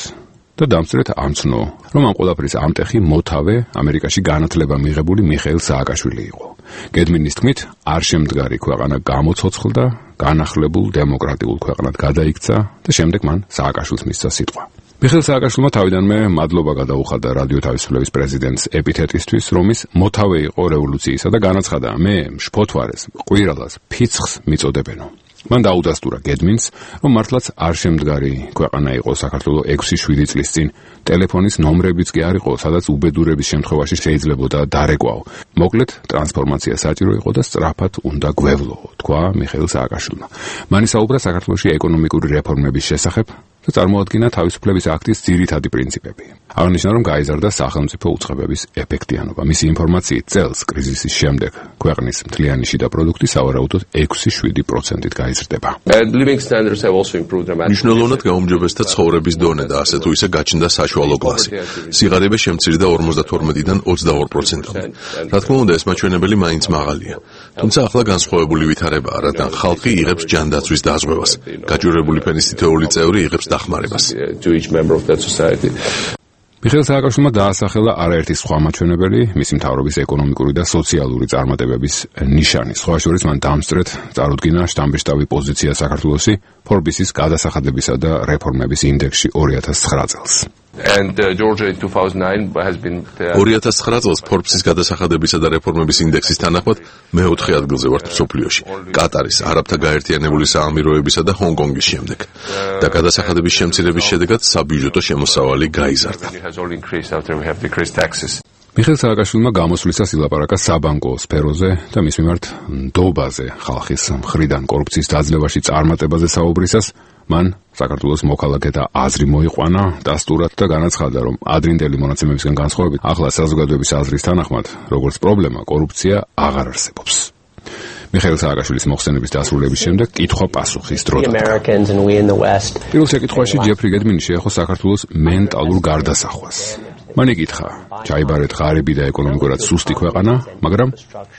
და დამსწრეთ ამცნო, რომ ამ ყველაფრის ამტეხი მოთავე ამერიკაში განათლება მიღებული მიხეილ სააკაშვილი იყო. გედმინის თქმით, არ შემდგარი ქვეყანა გამოცოცხლდა, განახლებულ დემოკრატიულ ქვეყნად გადაიქცა და შემდეგ მან სააკაშვილს მისცა სიტყვა. მიხეილ სააკაშვილმა თავიდანვე მადლობა გადაუხადა რადიო თავისუფლების პრეზიდენტს ეპითეტისთვის, რომ ის მოთავე იყო რევოლუციისა და განაცხადა, მე მშფოთვარეს, ყვირალას, ფიცხს მიწოდებენო. მან დაუდასტურა გედმინს, რომ მართლაც არ შემდგარი ქვეყანა იყო საქართველო ექვსი შვიდი წლის წინ, ტელეფონის ნომრებიც კი არ იყო, სადაც უბედურების შემთხვევაში შეიძლებოდა დარეკვაო. მოკლედ, ტრანსფორმაცია საჭირო იყო და სწრაფად უნდა გვევლო, თქვა მიხეილ სააკაშვილმა. მან ისაუბრა საქართველოში ეკონომიკური რეფორმების შესახებ და წარმოადგინა თავისუფლების აქტის ძირითადი პრინციპები. აღნიშნა, რომ გაიზარდა სახელმწიფო უწყებების ეფექტიანობა. მისი ინფორმაციით წელს კრიზისის შემდეგ ქვეყნის მთლიანი შიდა პროდუქტი სავარაუდოდ ექვსი შვიდი პროცენტით გაიზრდება.
მნიშვნელოვნად გაუმჯობესდა ცხოვრების დონე და ასე თუ ისე გაჩნდა საშუალო კლასი. სიღარიბე შემცირდა ორმოცდათორმეტიდან ოცდაორ პროცენტამდე. რა თქმა უნდა, ეს მაჩვენებელი მაინც მაღალია. თუმცა ახლა განსხვავებული ვითარებაა, რადგან ხალხი იღებს ჯანდაცვის დაზღვევას. გაჭირვებული ფენის თითოეული წევრი იღებს დახმარებას.
მიხეილ სააკაშვილმა დაასახელა არაერთი სხვა მაჩვენებელი, მისი მთავრობის ეკონომიკური და სოციალური წარმატებების ნიშანი. სხვა შორის მან დამსწრეთ წარუდგინა შტამბეშტავი პოზიცია საქართველოსი ფორბისის გადასახადებისა და რეფორმების ინდექსში ორი ათას ცხრა წელს.
And uh, Georgia in two thousand nine has been ორი ათას ცხრა წელს ფორბსის გადასახადებისა და რეფორმების ინდექსის თანახმად მეოთხე ადგილზე ვართ მსოფლიოში. კატარის, არაბთა გაერთიანებული საამიროებისა და ჰონგ-კონგის შემდეგ. და გადასახადების შემცირების შედეგად საბიუჯეტო შემოსავალი გაიზარდა.
მიხეილ სააკაშვილმა გამოსვლისას ილაპარაკა საბანკო სფეროზე და მის მიმართ ნდობაზე, ხალხის მხრიდან კორუფციის დაძლევაში წარმატებაზე საუბრისას მან საქართველოს მოქალაქეთა აზრი მოიყვანა დასტურად და განაცხადა, რომ ადრინდელი მონაცემებისგან განსხვავებით, ახლა საზოგადოების აზრის თანახმად, როგორც პრობლემა, კორუფცია აღარ არსებობს. მიხეილ სააკაშვილის მოხსენების დასრულების შემდეგ კითხვა-პასუხის დრო დაიწყო. პირველ შეკითხვაში ჯეფრი გედმინი შეეხო საქართველოს მენტალურ გარდასახვას. მან იკითხა, ჩაიბარეთ ღარიბი და ეკონომიკურად სუსტი ქვეყანა, მაგრამ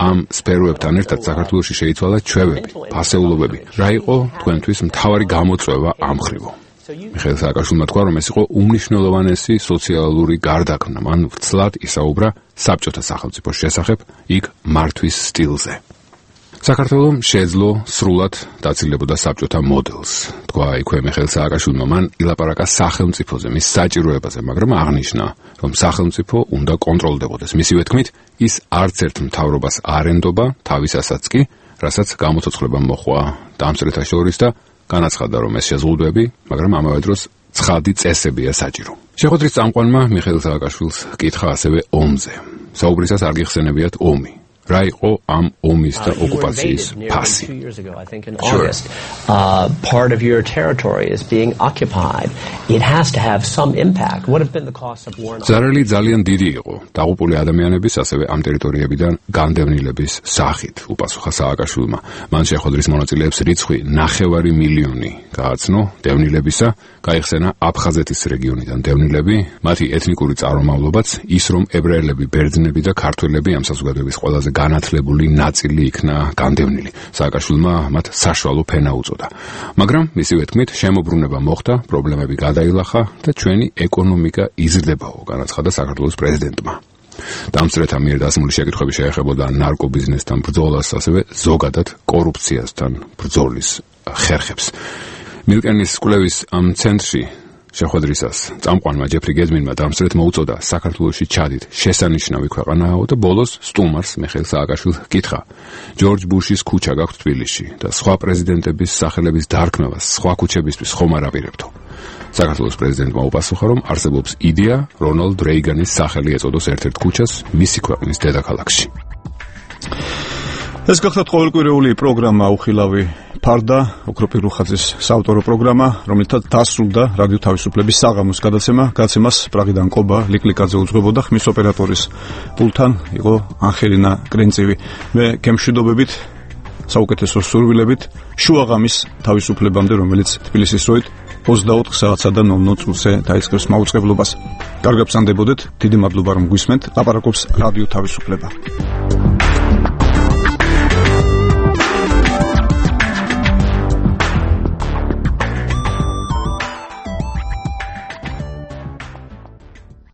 ამ სფეროებთან ერთად საქართველოში შეიცვალა ჩვევები, ფასეულობები. რა იყო თქვენთვის მთავარი გამოწვევა ამ მხრივო? მიხეილ სააკაშვილმა თქვა, რომ ეს იყო უმნიშვნელოვანესი სოციალური გარდაქმნა. მან ვცლად ისაუბრა საბჭოთა სახელმწიფოს შესახებ, იქ მართვის სტილზე. საქართველომ შეძლო სრულად დაცილებოდა საბჭოთა მოდელს. თქვა იქვე მიხეილ სააკაშვილმა, მან ილაპარაკა სახელმწიფოზე, მის საჭიროებაზე, მაგრამ აღნიშნა, რომ სახელმწიფო უნდა კონტროლდებოდეს. მისივე თქმით, ის არც ერთ მთავრობას არ ენდობა, თავისასაც კი, რასაც გამოცოცხლება მოჰყვა დამსწრეთა შორის და განაცხადა, რომ ეს შეზღუდვები, მაგრამ ამავე დროს ცხადი წესებია საჭირო. შეხვედრის წამყვანმა მიხეილ სააკაშვილს კითხა ასევე ომზე. საუბრისას არ გიხსენებიათ ომი. რა იყო ამ ომის და ოკუპაციის ფასი?
Sure. Uh, part of your territory is being occupied. It has to have some impact. What have been the costs of war?
ზარალი ძალიან დიდი იყო. დაღუპული ადამიანების, ასევე ამ ტერიტორიებიდან განდევნილების სახით, უპასუხა სააკაშვილმა. მან შეხვედრის მონაწილეებს რიცხვი ნახევარი მილიონი გააცნო დევნილებისა, გაიხსენა აფხაზეთის რეგიონიდან დევნილები, მათი ეთნიკური წარმომავლობაც ის, რომ ებრაელები, ბერძნები და ქართველები ამ საზოგადოების ყველაზე განათლებული ნაწილი იქნა განდევნილი. სააკაშვილმა მათ საშუალო ფენა უწოდა. მაგრამ მისივე თქმით, შემოbrunება მოხდა, პრობლემები გადაილახა და ჩვენი ეკონომიკა იზრდებაო, განაცხადა საქართველოს პრეზიდენტმა. დამსწრეთა მიერ დასმული შეკითხვები შეეხებოდა ნარკობიზნესთან ბრძოლას, ასევე ზოგადად კორუფციასთან ბრძოლის ხერხებს. მილკენის კვლევის ამ ცენტრში შეხვედრისას წამყვანმა ჯეფრი გედმინმა დამსწრეთ მოუწოდა საქართველოში ჩადით შესანიშნავი ქვეყანაო და ბოლოს სტუმარს მიხეილ სააკაშვილს კითხა ჯორჯ ბუშის ქუჩა გაქვთ თბილისში და სხვა პრეზიდენტების სახელების დარქმევას სხვა ქუჩებისთვის ხომ არ აპირებთო. საქართველოს პრეზიდენტმა უპასუხა, რომ არსებობს იდეა რონალდ რეიგანის სახელი ეწოდოს ერთ-ერთ ქუჩას მისი ქვეყნის დედაქალაქში.
ეს გახლავთ ყოველკვირეული პროგრამა უხილავი ფარდა, ოქროპირ რუხაძის საავტორო პროგრამა, რომელთაც დასრულდა რადიო თავისუფლების საღამოს გადაცემა. გადაცემას პრაღიდან კობა ლიკლიკაძე უძღვებოდა, ხმის ოპერატორის პულთან იყო ანხელინა კრენწივი. მე გემშვიდობებით, საუკეთესო სურვილებით, შუაღამის თავისუფლებამდე, რომელიც თბილისის დროით ოცდაოთხ საათსა და ნოლ ნოლ წუთზე დაიწყებს მაუწყებლობას. კარგად გსანდებოდეთ, დიდი მადლობა რომ გვისმენთ. ლაპარაკობს რადიო თავისუფლება.